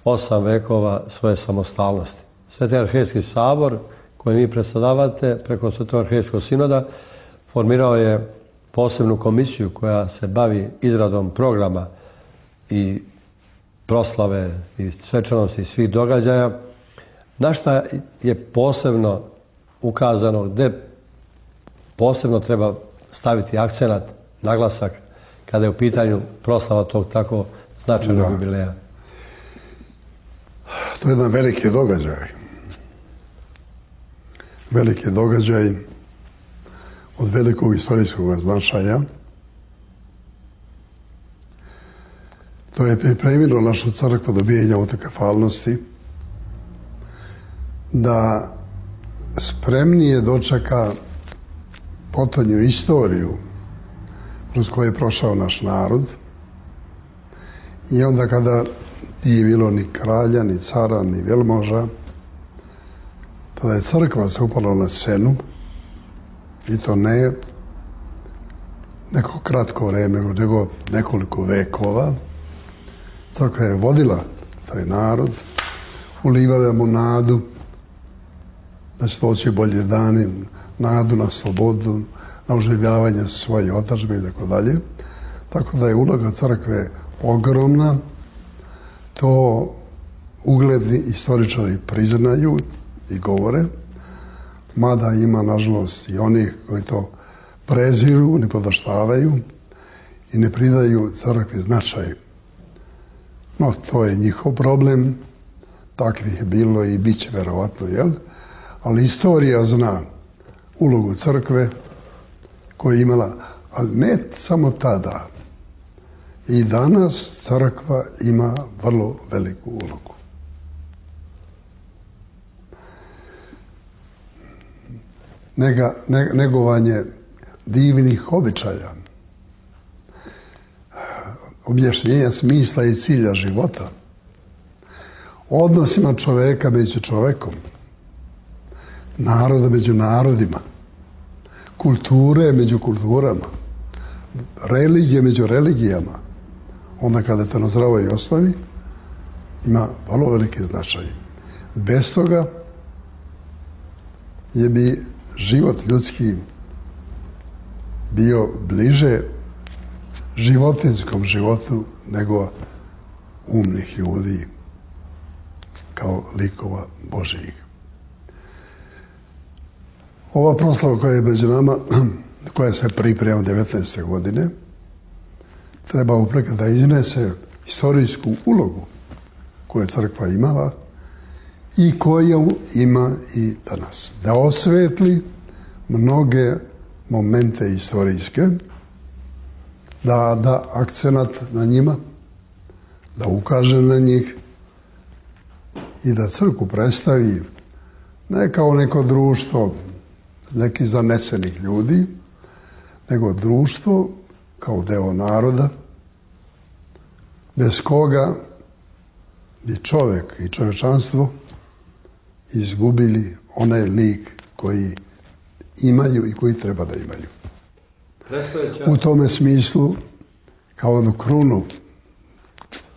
8 vekova svoje samostalnosti. Sveti arhijejski sabor, koji vi predstavljate preko Svetog arhijejskog sinoda, formirao je posebnu komisiju koja se bavi izradom programa i proslave i svečanosti svih događaja. Na šta je posebno ukazano, gde posebno treba staviti akcenat, naglasak, kada je u pitanju proslava tog tako značajnog jubileja? To je jedan veliki događaj. Veliki događaj od velikog istorijskog značaja. To je pripremilo našu crkvu dobijanja autokefalnosti, da spremnije dočeka potonju istoriju kroz koju je prošao naš narod. I onda kada nije bilo ni kralja, ni cara, ni velmoža, tada je crkva se upala na scenu, i to ne neko kratko vreme, nego nekoliko vekova. Crkva je vodila taj narod, ulivala mu nadu da će doći bolje dani, nadu na slobodu, na oživljavanje svoje otadžbe i tako dalje. Tako da je uloga crkve ogromna. To ugledni istoričari priznaju i govore, mada ima, nažalost, i onih koji to preziru, ne podaštavaju i ne pridaju crkvi značaj. No, to je njihov problem, takvih je bilo i bit će verovatno, jel? Ali istorija zna ulogu crkve koju je imala, ali ne samo tada. I danas crkva ima vrlo veliku ulogu. Negovanje divnih običaja, objašnjenja smisla i cilja života, odnosima čoveka među čovekom, naroda među narodima, kulture među kulturama, religije među religijama, onda kada to na zdravoj osnovi ima vrlo veliki značaj. Bez toga je bi život ljudski bio bliže životinskom životu nego umnih ljudi kao likova Božijih. Ova proslava koja je među nama, koja se priprema 19. godine, treba upreka da iznese istorijsku ulogu koju je crkva imala i koju ima i danas. Da osvetli mnoge momente istorijske, da da akcenat na njima, da ukaže na njih i da crkvu predstavi ne kao neko društvo nekih zanesenih ljudi, nego društvo kao deo naroda, bez koga bi čovek i čovečanstvo izgubili onaj lik koji imaju i koji treba da imaju. U tome smislu, kao jednu krunu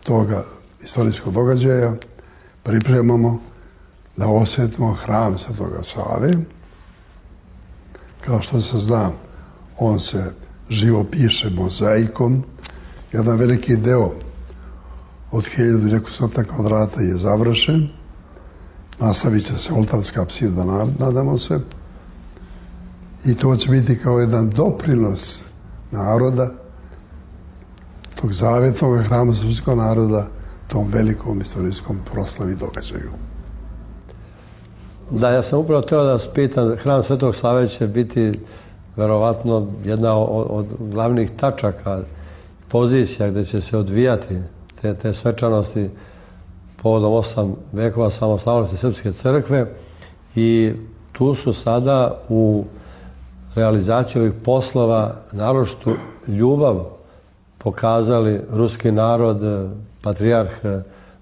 toga istorijskog događaja, pripremamo da osvetimo hram Svetoga Save. Kao što se zna, on se živopiše mozaikom. Jedan veliki deo od 1200 kvadrata je završen. Nastavit će se oltarska apsida, nadamo se. I to će biti kao jedan doprinos naroda, tog zavetnog hrama srpskog naroda, tom velikom istorijskom proslavi događaju. Da, ja sam upravo teo da vas pitam, hram Svetog Save će biti verovatno jedna od glavnih tačaka, pozicija gde će se odvijati te svečanosti povodom 8 vekova samostalnosti Srpske crkve, i tu su sada u realizaciji ovih poslova naročitu ljubav pokazali ruski narod, patrijarh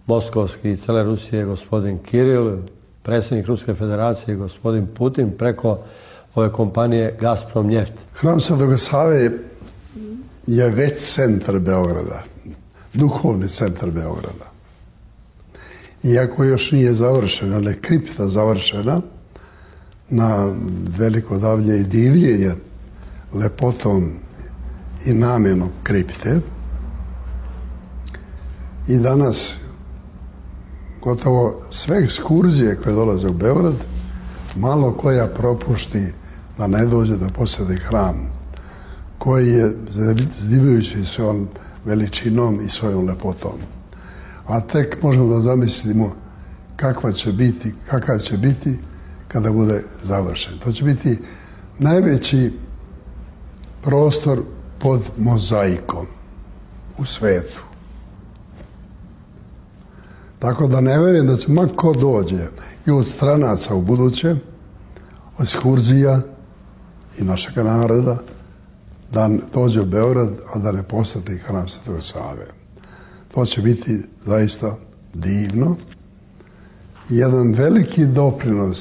Moskovski i cele Rusije gospodin Kiril, predsjednik Ruske federacije gospodin Putin preko ove kompanije Gazprom Njeft. Hram Svetoga Save je već centar Beograda, duhovni centar Beograda. Iako još nije završena, ali je kripta završena, na veliko davlje i divljenje lepotom i namjenom kripte. I danas gotovo sve ekskurzije koje dolaze u Beograd, malo koja propušti da ne dođe da posjeti hram, koji je zdivajući svojom veličinom i svojom lepotom. A tek možemo da zamislimo kakav će biti kada bude završen. To će biti najveći prostor pod mozaikom u svetu. Tako da ne verujem da će ko dođe i od stranaca u buduće, od ekskurzija i našeg naroda, da dođe u Beograd, a da ne posjeti hram Svetog Save. To će biti zaista divno. Jedan veliki doprinos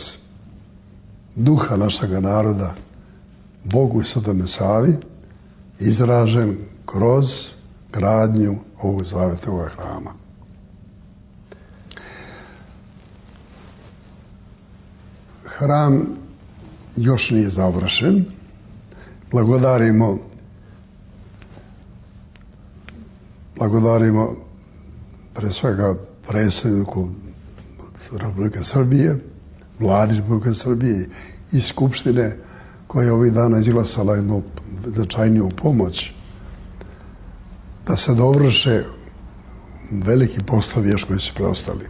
duha našeg naroda Bogu i Svetome Savi izražen kroz gradnju ovog zavetnog hrama. Hram još nije završen. Blagodarimo pre svega predsjedniku Republike Srbije, Vladi Republike Srbije i Skupštine koja je ovih dana izglasala jednu značajniju pomoć da se dovrše veliki poslovi još koji su preostali.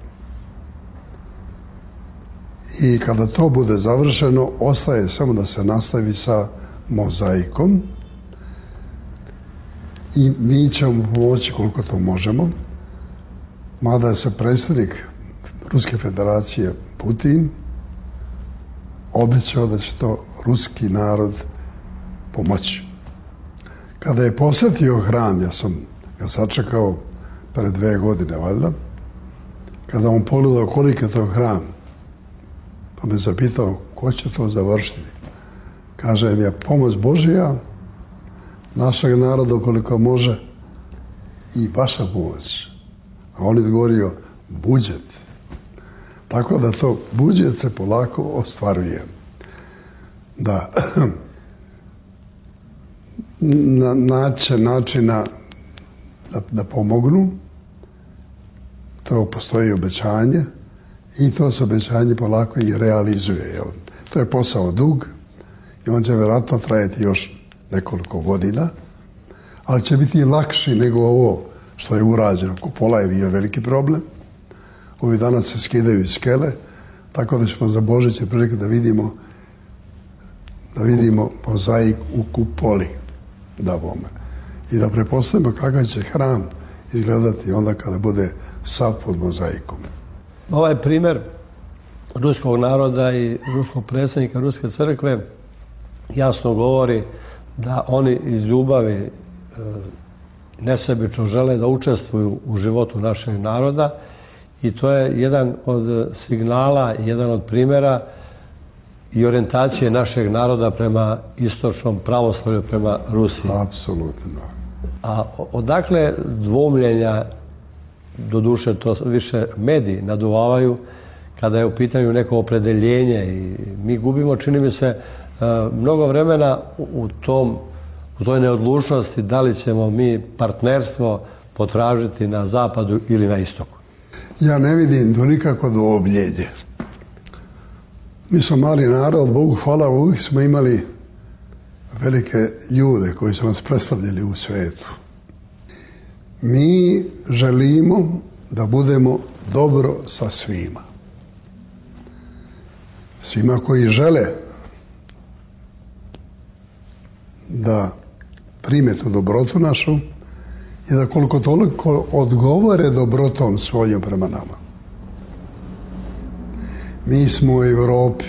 I kada to bude završeno, ostaje samo da se nastavi sa mozaikom i mi ćemo pomoći koliko to možemo, mada je se predsjednik Ruske federacije Putin obećao da će to ruski narod pomoći. Kada je posjetio hram, ja sam ga sačekao pred 2 godine, valjda, kada on pogledao koliko je to hram, pa me zapitao ko će to završiti. Kaže mi je pomoć Božija, našeg naroda koliko može i vaša pomoć. A on je odgovorio budžet. Tako da to budžet se polako ostvaruje. Da naće načina da pomognu. To postoji obećanje i to se obećanje polako i realizuje. To je posao dug i on će vjerojatno trajati još nekoliko godina, ali će biti lakši nego ovo što je urađeno. Kupola je bio veliki problem. Ovi danas se skidaju iz skele, tako da ćemo za Božiće prilike da vidimo mozaik u kupoli da bome. I da prepostavimo kakav će hram izgledati onda kada bude sav pod mozaikom. Ovaj primjer ruskog naroda i ruskog predsjednika Ruske crkve jasno govori da oni iz ljubavi nesebično žele da učestvuju u životu našeg naroda i to je jedan od signala, jedan od primjera i orijentacije našeg naroda prema istočnom pravoslavlju, prema Rusiji. Apsolutno. A odakle dvomljenja, doduše to više mediji naduvavaju kada je u pitanju neko opredeljenje i mi gubimo, čini mi se, mnogo vremena u toj neodlučnosti da li ćemo mi partnerstvo potražiti na zapadu ili na istoku. Ja ne vidim to nikako dvobljenje. Mi smo mali narod, Bogu hvala, uvijek smo imali velike ljude koji su nas predstavljali u svetu. Mi želimo da budemo dobro sa svima. Svima koji žele da prime tu dobrotu našu i da koliko toliko odgovore dobrotom svojom prema nama. Mi smo u Evropi.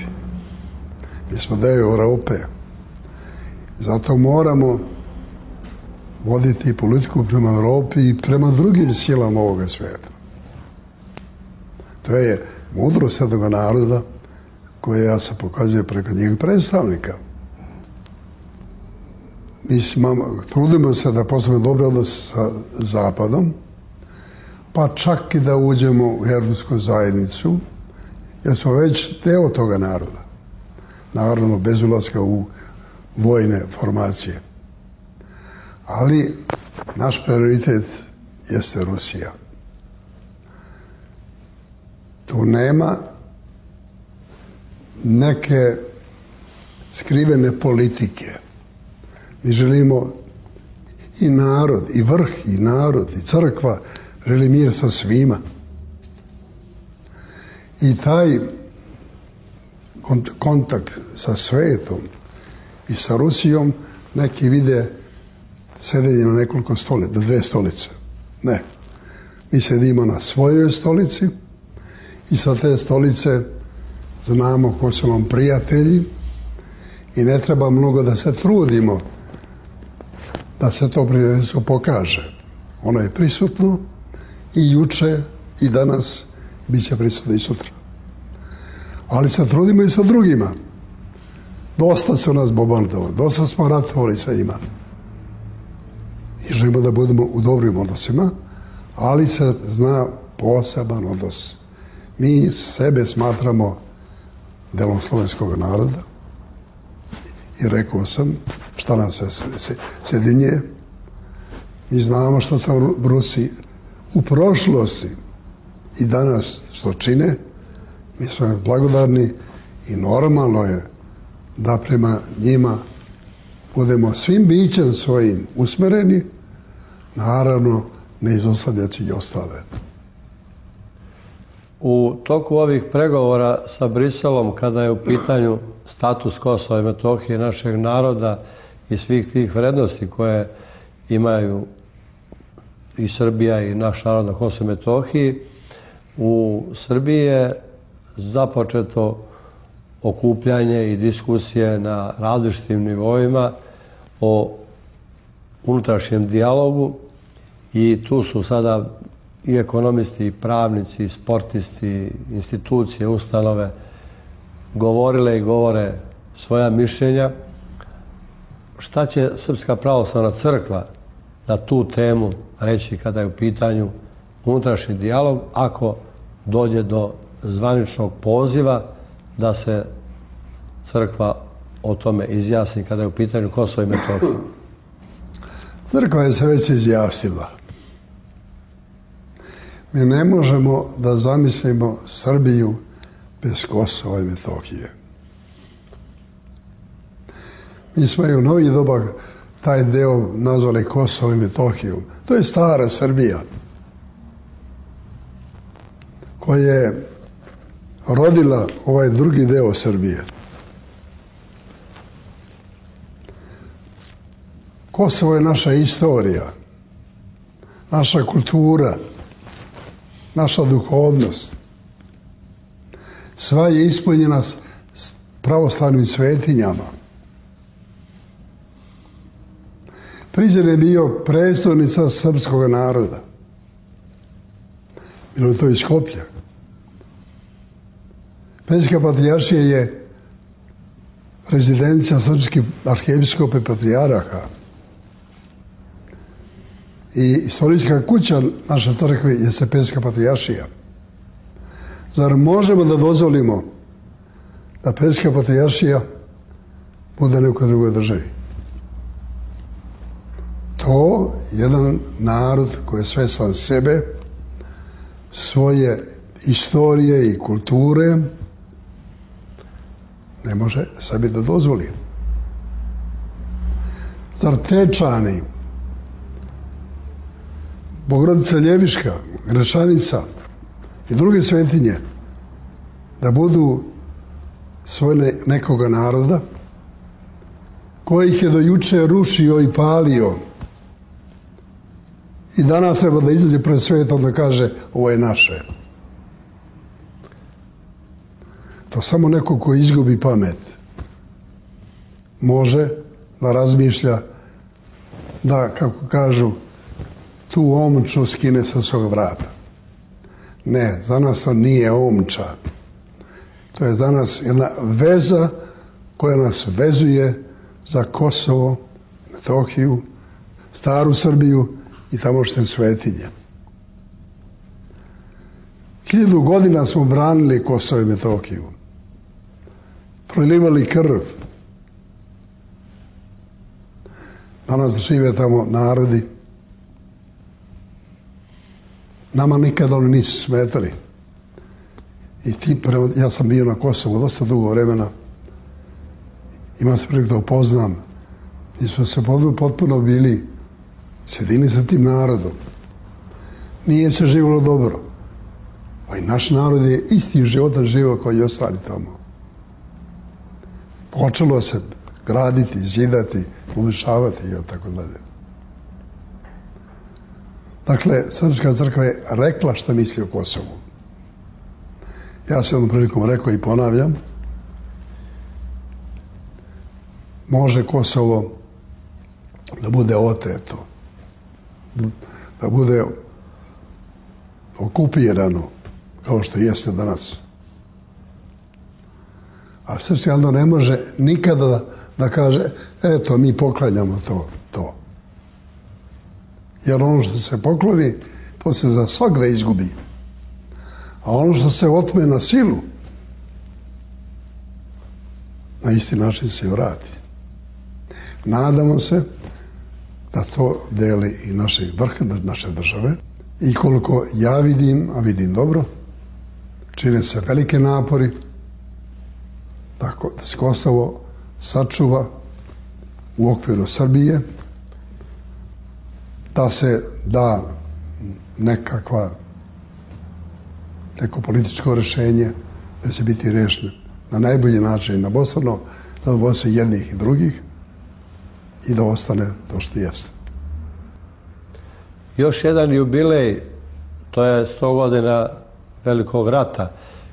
Mi smo deo Europe. Zato moramo voditi politiku prema Europi i prema drugim silama ovoga svijeta. To je mudrost jednog naroda koja se pokazuje preko njegovih predstavnika. Mi trudimo se da postavimo dobre odnose sa Zapadom, pa čak i da uđemo u Europsku zajednicu, jer smo već deo toga naroda. Naravno, bez ulaska u vojne formacije. Ali naš prioritet jeste Rusija. Tu nema neke skrivene politike. Mi želimo i narod, i vrh, i narod, i crkva želi mir sa svima. I taj kontakt sa svetom i sa Rusijom neki vide sedenje na nekoliko stolica, dve stolice. Ne. Mi sedimo na svojoj stolici i sa te stolice znamo ko su nam prijatelji i ne treba mnogo da se trudimo da se to prijateljstvo pokaže. Ono je prisutno i juče i danas, bit će prisutno i sutra. Ali se trudimo i sa drugima. Dosta su nas bombardovali, dosta smo ratovali sa njima. I želimo da budemo u dobrim odnosima, ali se zna poseban odnos. Mi sebe smatramo delom slovenskog naroda i rekao sam šta nas se sjedinje. Mi znamo što se Rusi u prošlosti i danas što čine. Mi smo blagodarni i normalno je da prema njima budemo svim bićem svojim usmereni, naravno ne izostavljajući i ostale. U toku ovih pregovora sa Briselom, kada je u pitanju status Kosova i Metohije našeg naroda i svih tih vrednosti koje imaju i Srbija i naš narod na Kosovu i Metohiji, u Srbiji je započeto okupljanje i diskusije na različitim nivoima o unutrašnjem dijalogu i tu su sada i ekonomisti, i pravnici, i sportisti, institucije, ustanove govorile i govore svoja mišljenja. Šta će Srpska pravoslavna crkva na tu temu reći kada je u pitanju unutrašnji dijalog ako dođe do zvaničnog poziva da se crkva o tome izjasni kada je u pitanju Kosovo i Metohija? Crkva je se već izjasnila. Mi ne možemo da zamislimo Srbiju bez Kosova i Metohije. Mi smo i u novih doba taj deo nazvali Kosovo i Metohiju. To je stara Srbija koja je rodila ovaj drugi deo Srbije. Kosovo je naša istorija, naša kultura, naša duhovnost. Sva je ispunjena s pravoslavnim svetinjama. Prizren je bio predstavnica srpskog naroda. Bilo je to iz Skoplja. Pećka patrijaršija je rezidencija srpskih arhijepiskopa i patrijaraha. I istorijska kuća naše crkve je Pećka patrijaršija. Zar možemo da dozvolimo da Pećka patrijaršija bude nekoj drugoj državi? To jedan narod koji je svestan sebe, svoje istorije i kulture, ne može sebi da dozvoli. Zar Tečani, Bogorodica Ljeviška, Gračanica i druge svetinje da budu svoje nekoga naroda koji ih je do juče rušio i palio i danas treba da izađe pred svetom da kaže ovo je naše. To samo neko ko izgubi pamet može da razmišlja da, kako kažu, tu omču skine sa svog vrata. Ne, za nas to nije omča. To je za nas jedna veza koja nas vezuje za Kosovo, Metohiju, staru Srbiju i tamošnje svetinje. 1000 godina smo branili Kosovo i Metohiju. Prolivali krv. Danas žive tamo narodi. Nama nikada oni nisu smetali. I ja sam bio na Kosovu dosta dugo vremena. Imam se prilike da upoznam. I smo se potpuno bili sjedini sa tim narodom. Nije se živjelo dobro. Pa i naš narod je isti život živio kao i ostali tamo. Počelo se graditi, zidati, ulišavati i tako dalje. Dakle, Srpska crkva je rekla šta misli o Kosovu. Ja sam jednom prilikom rekao i ponavljam, može Kosovo da bude oteto, da bude okupirano, kao što jeste danas. A srpski narod ne može nikada da kaže, eto, mi poklanjamo to. Jer ono što se pokloni, to se za svakda izgubi. A ono što se otme na silu, na isti način se vrati. Nadamo se da to deli i vrh naše države. I koliko ja vidim, a vidim dobro, čine se velike napori tako da se Kosovo sačuva u okviru Srbije, da se da neko političko rješenje da će biti rešeno na najbolji način na Bostrano, da odvose jednih i drugih i da ostane to što jeste. Još jedan jubilej, to je 100 godina Velikog rata,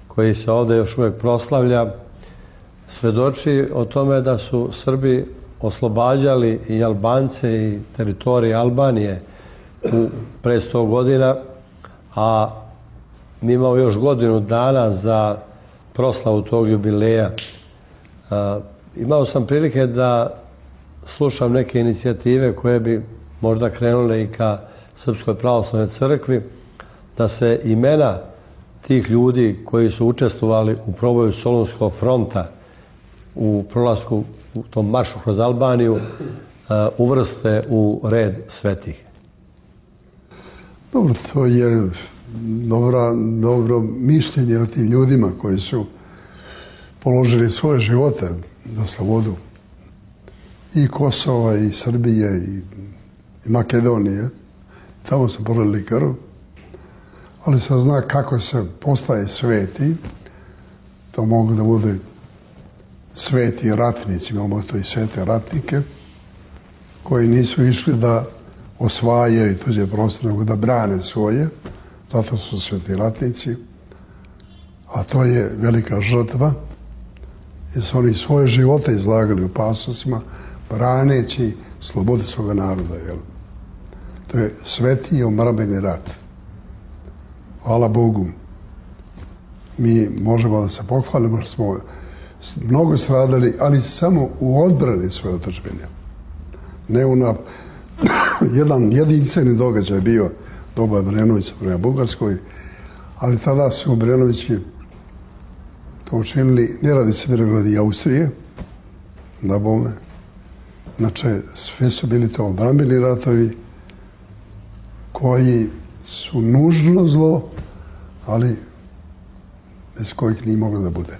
koji se ovdje još uvijek proslavlja, svedoči o tome da su Srbi oslobađali i Albance i teritorije Albanije pre 100 godina, a mi imamo još godinu dana za proslavu tog jubileja. Imao sam prilike da slušam neke inicijative koje bi možda krenule i ka Srpskoj pravoslavnoj crkvi, da se imena tih ljudi koji su učestvovali u proboju Solunskog fronta u prolasku u tom maršu kroz Albaniju uvrste u red svetih. Dobro, to je dobro mišljenje o tim ljudima koji su položili svoje živote za slobodu i Kosova i Srbije i Makedonije. Tamo su polili krv, ali se zna kako se postaje sveti. To mogu da bude sveti ratnici, imamo to i svete ratnike, koji nisu išli da osvajaju tuđe prostore, nego da brane svoje, zato su sveti ratnici, a to je velika žrtva, jer su oni svoje živote izlagali u opasnostima, braneći slobodu svoga naroda. Jel? To je sveti i omrabeni rat. Hvala Bogu, mi možemo da se pohvalimo što smo mnogo stradali, ali samo u odbrani svoje otadžbine. Ne jedan jedinstveni događaj je bio doba Obrenovića prema Bugarskoj, ali tada su Obrenovići to učinili ne radi Svirograda i Austrije, da bome. Znači, sve su bili to odbrambeni ratovi koji su nužno zlo, ali bez kojih nije moglo da bude.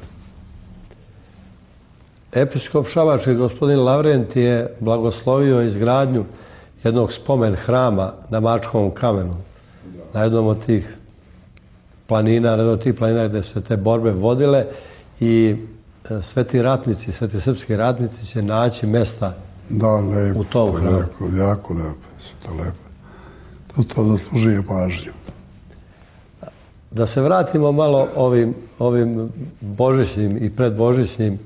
Episkop šabački gospodin Lavrent je blagoslovio izgradnju jednog spomen hrama na Mačkovom kamenu, na jednom od tih planina, gdje su te borbe vodile, i sveti ratnici, sveti srpski ratnici će naći mesta u tom hramu. Jako lepo, to lepo. To zaslužuje pažnju. Da se vratimo malo ovim božićnim i predbožićnim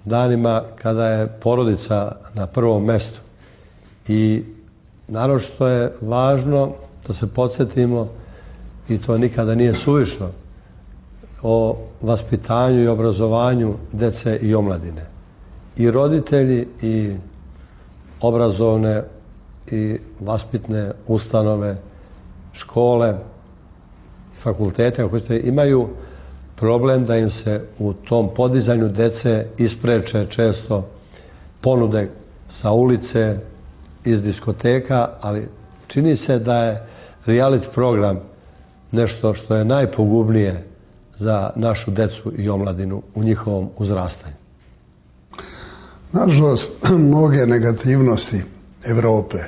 danima kada je porodica na prvom mestu. I naročito je važno da se podsjetimo, i to nikada nije suvišno, o vaspitanju i obrazovanju dece i omladine. I roditelji i obrazovne i vaspitne ustanove, škole, fakultete, ako ćete, imaju problem da im se u tom podizanju dece ispreče često ponude sa ulice, iz diskoteka, ali čini se da je reality program nešto što je najpogubnije za našu decu i omladinu u njihovom uzrastanju. Nažalost, mnoge negativnosti Evrope,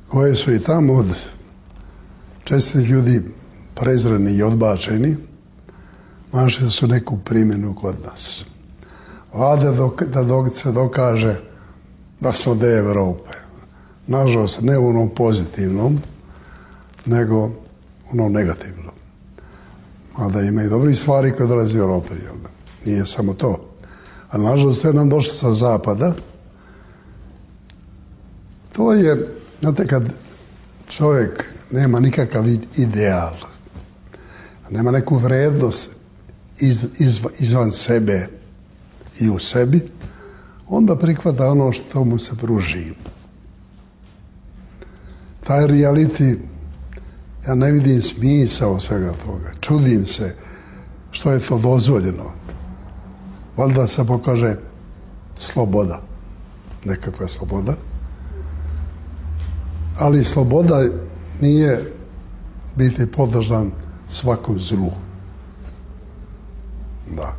koje su i tamo od čestih ljudi prezreni i odbačeni, našli su neku primjenu kod nas. Vlade dok se dokaže da smo deo Evrope. Nažalost, ne u onom pozitivnom, nego u onom negativnom. Mada ima i dobrih stvari koje dolazi u Evrope. Nije samo to. A nažalost, je nam došlo sa zapada. To je, znate, kad čovjek nema nikakav ideal, nema neku vrednost izvan sebe i u sebi, onda prihvata ono što mu se pruži. Taj reality, ja ne vidim smisao svega toga. Čudim se što je to dozvoljeno. Valjda se pokaže sloboda. Nekakva sloboda. Ali sloboda nije biti podložan svakom zlu. Da.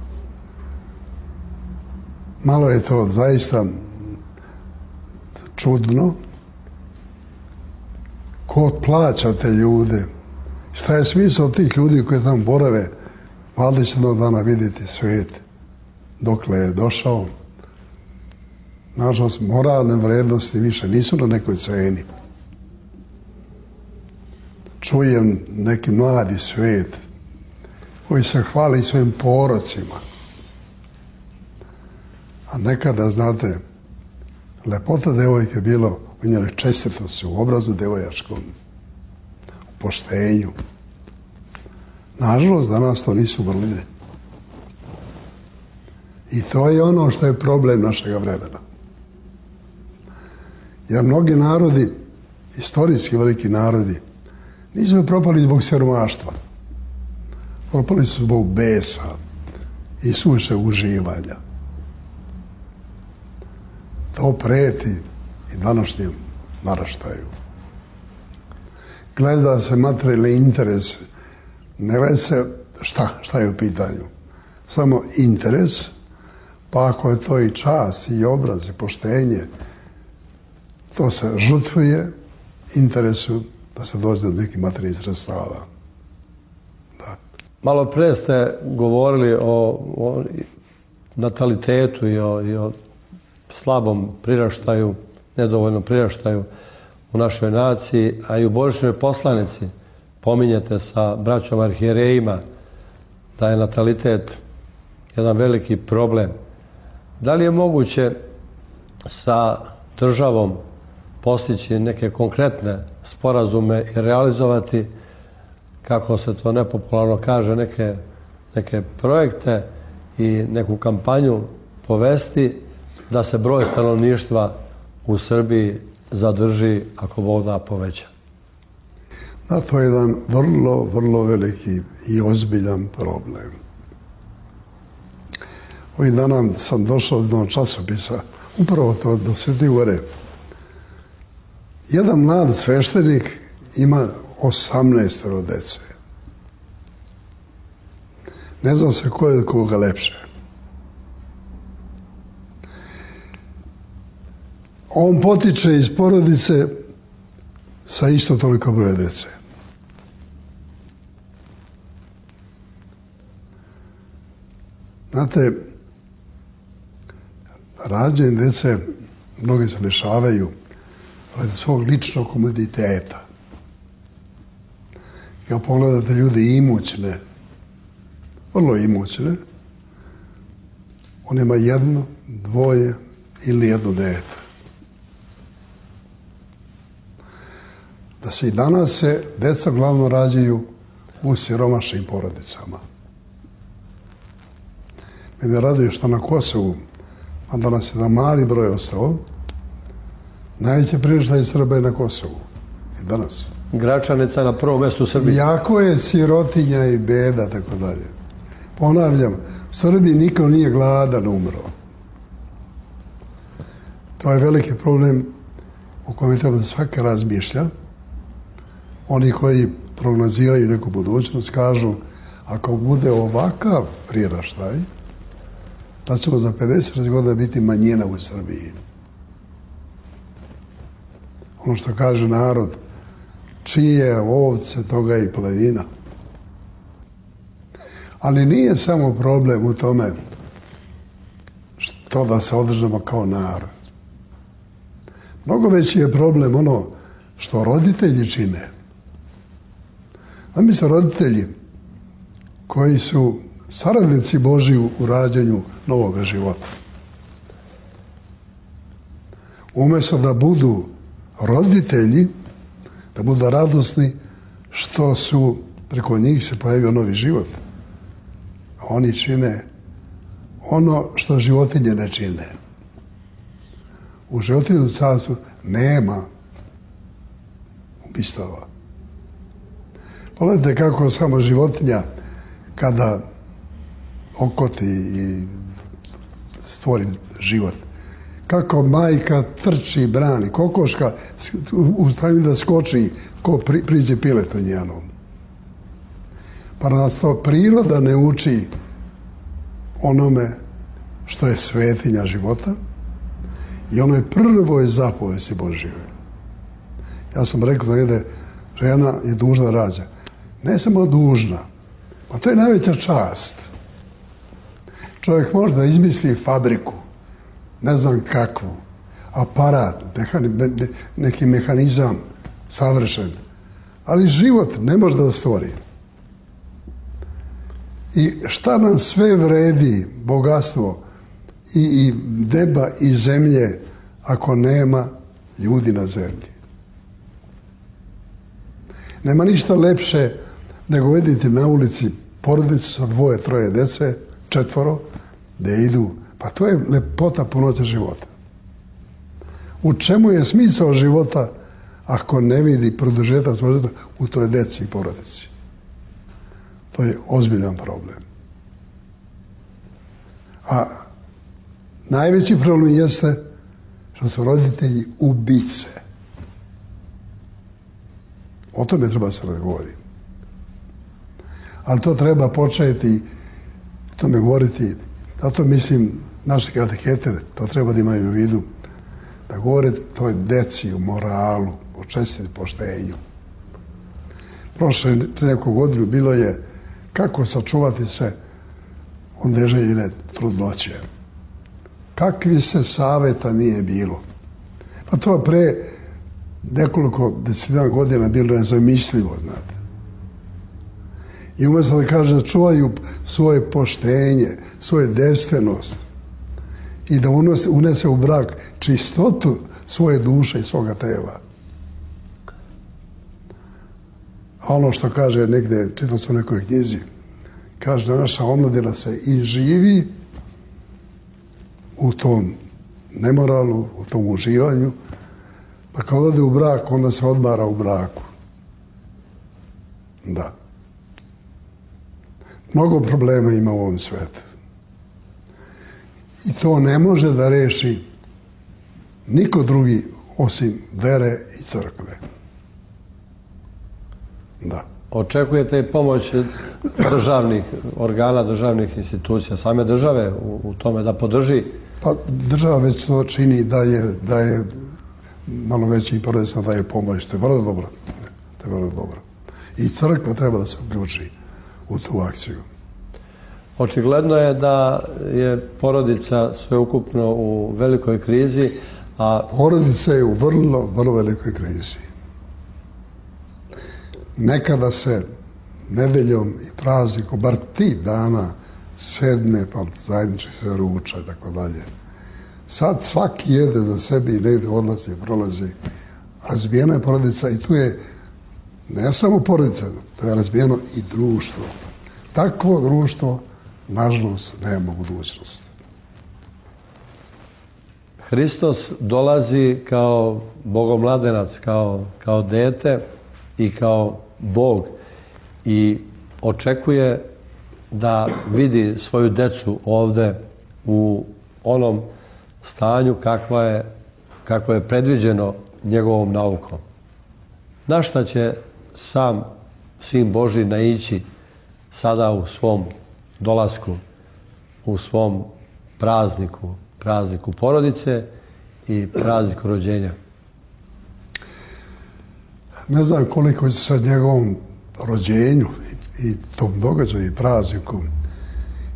Malo je to zaista čudno. Ko plaća te ljude? Šta je smisao tih ljudi koji tam borave? Valjda će jednog dana vidjeti svijet dokle je došao. Nažalost, moralne vrednosti više nisu na nekoj ceni. Čujem neki mladi svijet koji se hvali svojim porocima. A nekada, znate, lepota devojke je bilo u njenoj čestitosti, u obrazu devojačkom, u poštenju. Nažalost, danas to nisu vrline. I to je ono što je problem našega vremena. Jer mnogi narodi, istorijski veliki narodi, nisu propali zbog siromaštva. Propali su zbog besa i suše uživanja. To preti i današnjem naraštaju. Gleda se materijalni interes, ne gleda se šta je u pitanju. Samo interes, pa ako je to i čas, i obraz, i poštenje, to se žrtvuje interesu da se dođe do nekih materijalnih sredstava. Da. Malo pre ste govorili o natalitetu i o slabom priraštaju, nedovoljnom priraštaju u našoj naciji, a i u božićnoj poslanici pominjete sa braćom arhijerejima da je natalitet jedan veliki problem. Da li je moguće sa državom postići neke konkretne sporazume i realizovati, kako se to nepopularno kaže, neke projekte i neku kampanju povesti da se broj stanovništva u Srbiji zadrži, ako Bog da, poveća? Da, to je jedan vrlo, vrlo veliki i ozbiljan problem. Ovih dana sam došao do časopisa, upravo to do Svete Gore. Jedan mlad sveštenik ima 18 dece. Ne znam se ko je koga lepše. On potiče iz porodice sa isto toliko broja dece. Znate, rađenje dece mnogi se lišavaju svog ličnog komoditeta. Kad pogledate ljudi imućne, vrlo imućne, on ima jedno, dvoje ili jedno dete. Da se i danas deca glavno rađaju u siromašnim porodicama. Mene raduje što na Kosovu, a danas je na mali broj ostao, najveće priraštaj Srba je na Kosovu. I danas. Gračanica na prvom mjestu u Srbiji. Jako je sirotinja i beda, tako dalje. Ponavljam, u Srbiji niko nije gladan umro. To je veliki problem o kojem treba da svaka razmišlja. Oni koji prognoziraju neku budućnost kažu, ako bude ovakav priraštaj, da ćemo za 50 godina biti manjina u Srbiji. Ono što kaže narod, čije ovce, toga i plenina. Ali nije samo problem u tome to da se održamo kao narod. Mnogo veći je problem ono što roditelji čine. A mi su roditelji koji su saradnici Božji u rađanju novog života. Umjesto da budu roditelji, da budu radosni što su preko njih se pojavio novi život. Oni čine ono što životinje ne čine. U životinju carstvu nema ubistava. Pogledajte kako samo životinja kada okoti i stvori život. Kako majka trči, brani. Kokoška u stanju da skoči ko priđe piletu njenom. Pa nas to priroda ne uči onome što je svetinja života i ono je prvoj zapovesti Božjoj. Ja sam rekao da negdje žena je dužna da rađa. Ne samo dužna, pa to je najveća čast. Čovjek može da izmisli fabriku, ne znam kakvu, aparat, neki mehanizam savršen, ali život ne može da stvori. I šta nam sve vredi bogatstvo i neba i zemlje ako nema ljudi na zemlji? Nema ništa lepše nego vidite na ulici porodicu sa 2, 3 dece, 4, gdje idu. Pa to je lepota punoće života. U čemu je smisao života ako ne vidi produžetak života u toj deci i porodici? To je ozbiljan problem. A najveći problem jeste što su roditelji ubice. O tome treba se razgovoriti. Ali to treba početi, tome govoriti. Zato mislim, naše katehete, to treba da imaju u vidu, da govore toj deci u moralu, o česti poštenju. Prošle neku godinu bilo je kako sačuvati se od neželjene trudnoće. Kakvi se saveta nije bilo. Pa to pre nekoliko desetina godina bilo nezamislivo, znate. I umjesto da kaže da čuvaju svoje poštenje, svoju devstvenost i da unese u brak čistotu svoje duše i svoga tela. A ono što kaže negdje, čitam se u nekoj knjizi, kaže da naša omladina se i živi u tom nemoralu, u tom uživanju, pa kad ode u brak, onda se odmara u braku. Da. Mnogo problema ima u ovom svetu. I to ne može da reši niko drugi osim vere i crkve. Da. Očekujete i pomoć državnih organa, državnih institucija, same države u tome da podrži? Pa država već to čini da je malo veći i porodično daje pomoć. To je vrlo dobro. To je vrlo dobro. I crkva treba da se uključi u tu akciju. Očigledno je da je porodica sveukupno u velikoj krizi, a porodica je u vrlo, vrlo velikoj krizi. Nekada se nedeljom i praznikom, bar 3 dana sedne, pa zajednički se ruča i tako dalje. Sad svaki jede za sebi i negdje odlazi, prolazi. Razbijena je porodica i tu je ne samo porodica, to je razbijeno i društvo. Takvo društvo, nažalost, nema budućnost. Hristos dolazi kao bogomladenac, kao dete i kao Bog i očekuje da vidi svoju decu ovde u onom stanju kakvo je predviđeno njegovom naukom. Na šta će sam Sin Božji naići sada u svom dolasku, u svom prazniku porodice i prazniku rođenja? Ne znam koliko će sad njegovom rođenju i tom događaju i prazniku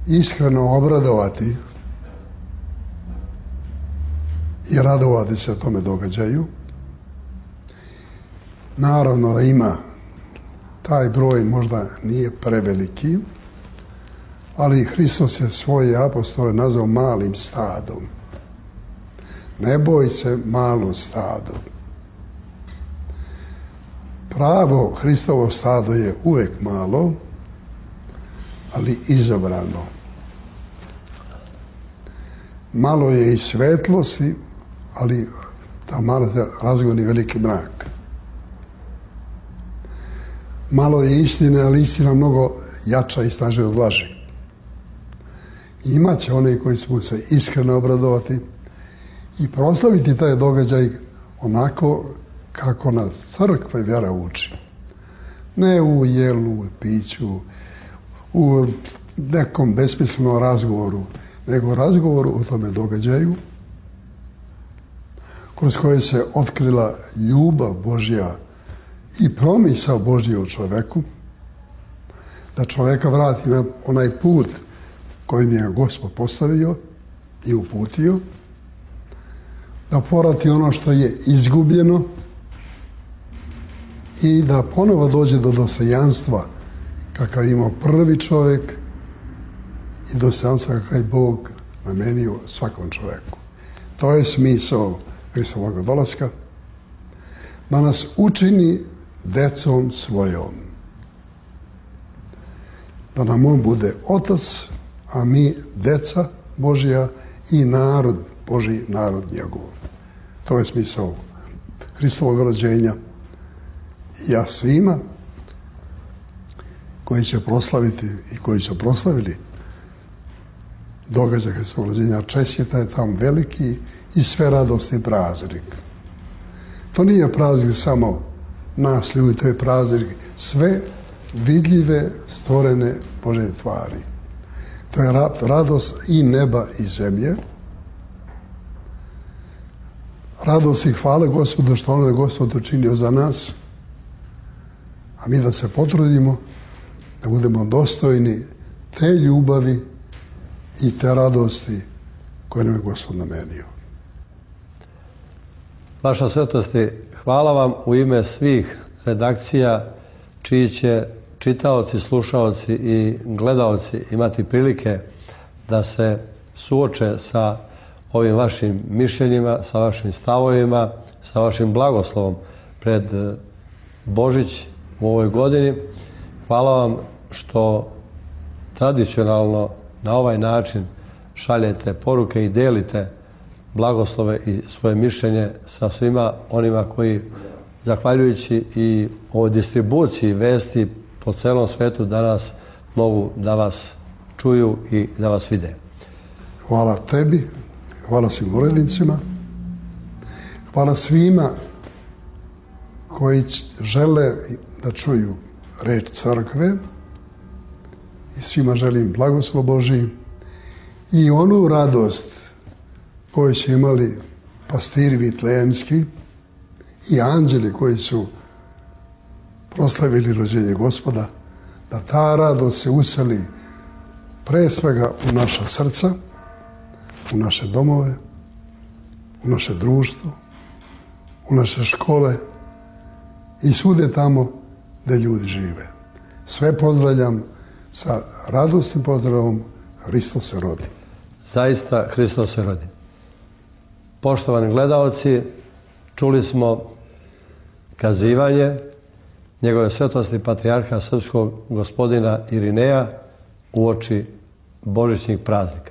iskreno obradovati i radovati se tome događaju. Naravno da ima, taj broj možda nije preveliki, ali Hristos je svoje apostole nazvao malim stadom. Ne boj se malo stado. Pravo Hristovo stado je uvek malo, ali izabrano. Malo je i svetlosti, ali ta malo se razgoni veliki mrak. Malo je istine, ali istina mnogo jača i snažnija od laži. Imaće oni koji će se iskreno obradovati i proslaviti taj događaj onako kako nas crkva i vjera uči. Ne u jelu, u piću, u nekom besmislenom razgovoru, nego razgovoru o tome događaju kroz koje se otkrila ljubav Božja i promisao Božji u čoveku, da čoveka vrati na onaj put kojim je Gospod postavio i uputio, da povrati ono što je izgubljeno i da ponovo dođe do dostojanstva kakav je imao prvi čovjek i dostojanstva kakav je Bog namenio svakom čoveku. To je smisao Hristovog dolaska, da nas učini decom svojom. Da nam on bude otac, a mi deca Božja i narod Božji, narod njegov. To je smisao Hristovog rođenja. Ja svima koji će proslaviti i koji su proslavili događaj Hristovog rođenja, čestita je tam veliki i sve radosni praznik. To nije praznik samo nas ljudi, to je praznik sve vidljive, stvorene Božje tvari. To je radost i neba i zemlje. Radost i hvale Gospodu što ono je Gospod učinio za nas, a mi da se potrudimo da budemo dostojni te ljubavi i te radosti koje nam je Gospod namenio. Vaša svetosti, hvala vam u ime svih redakcija čiji će čitaoci, slušaoci i gledaoci imati prilike da se suoče sa ovim vašim mišljenjima, sa vašim stavovima, sa vašim blagoslovom pred Božić u ovoj godini. Hvala vam što tradicionalno na ovaj način šaljete poruke i delite blagoslove i svoje mišljenje sa svima onima koji, zahvaljujući i ovoj distribuciji vesti po celom svetu, danas mogu da vas čuju i da vas vide. Hvala tebi, hvala svim urednicima, hvala svima koji žele da čuju reč crkve i svima želim blagoslov Božji i onu radost koju su imali pastiri vitlejanski i anđeli koji su proslavili rođenje Gospoda, da ta radost se useli pre svega u naša srca, u naše domove, u naše društvo, u naše škole i svude tamo gde ljudi žive. Sve pozdravljam sa radosnim pozdravom: Hristos se rodi. Zaista Hristos se rodi. Poštovani gledaoci, čuli smo kazivanje njegove svetosti patrijarha srpskog gospodina Irineja uoči božićnih praznika.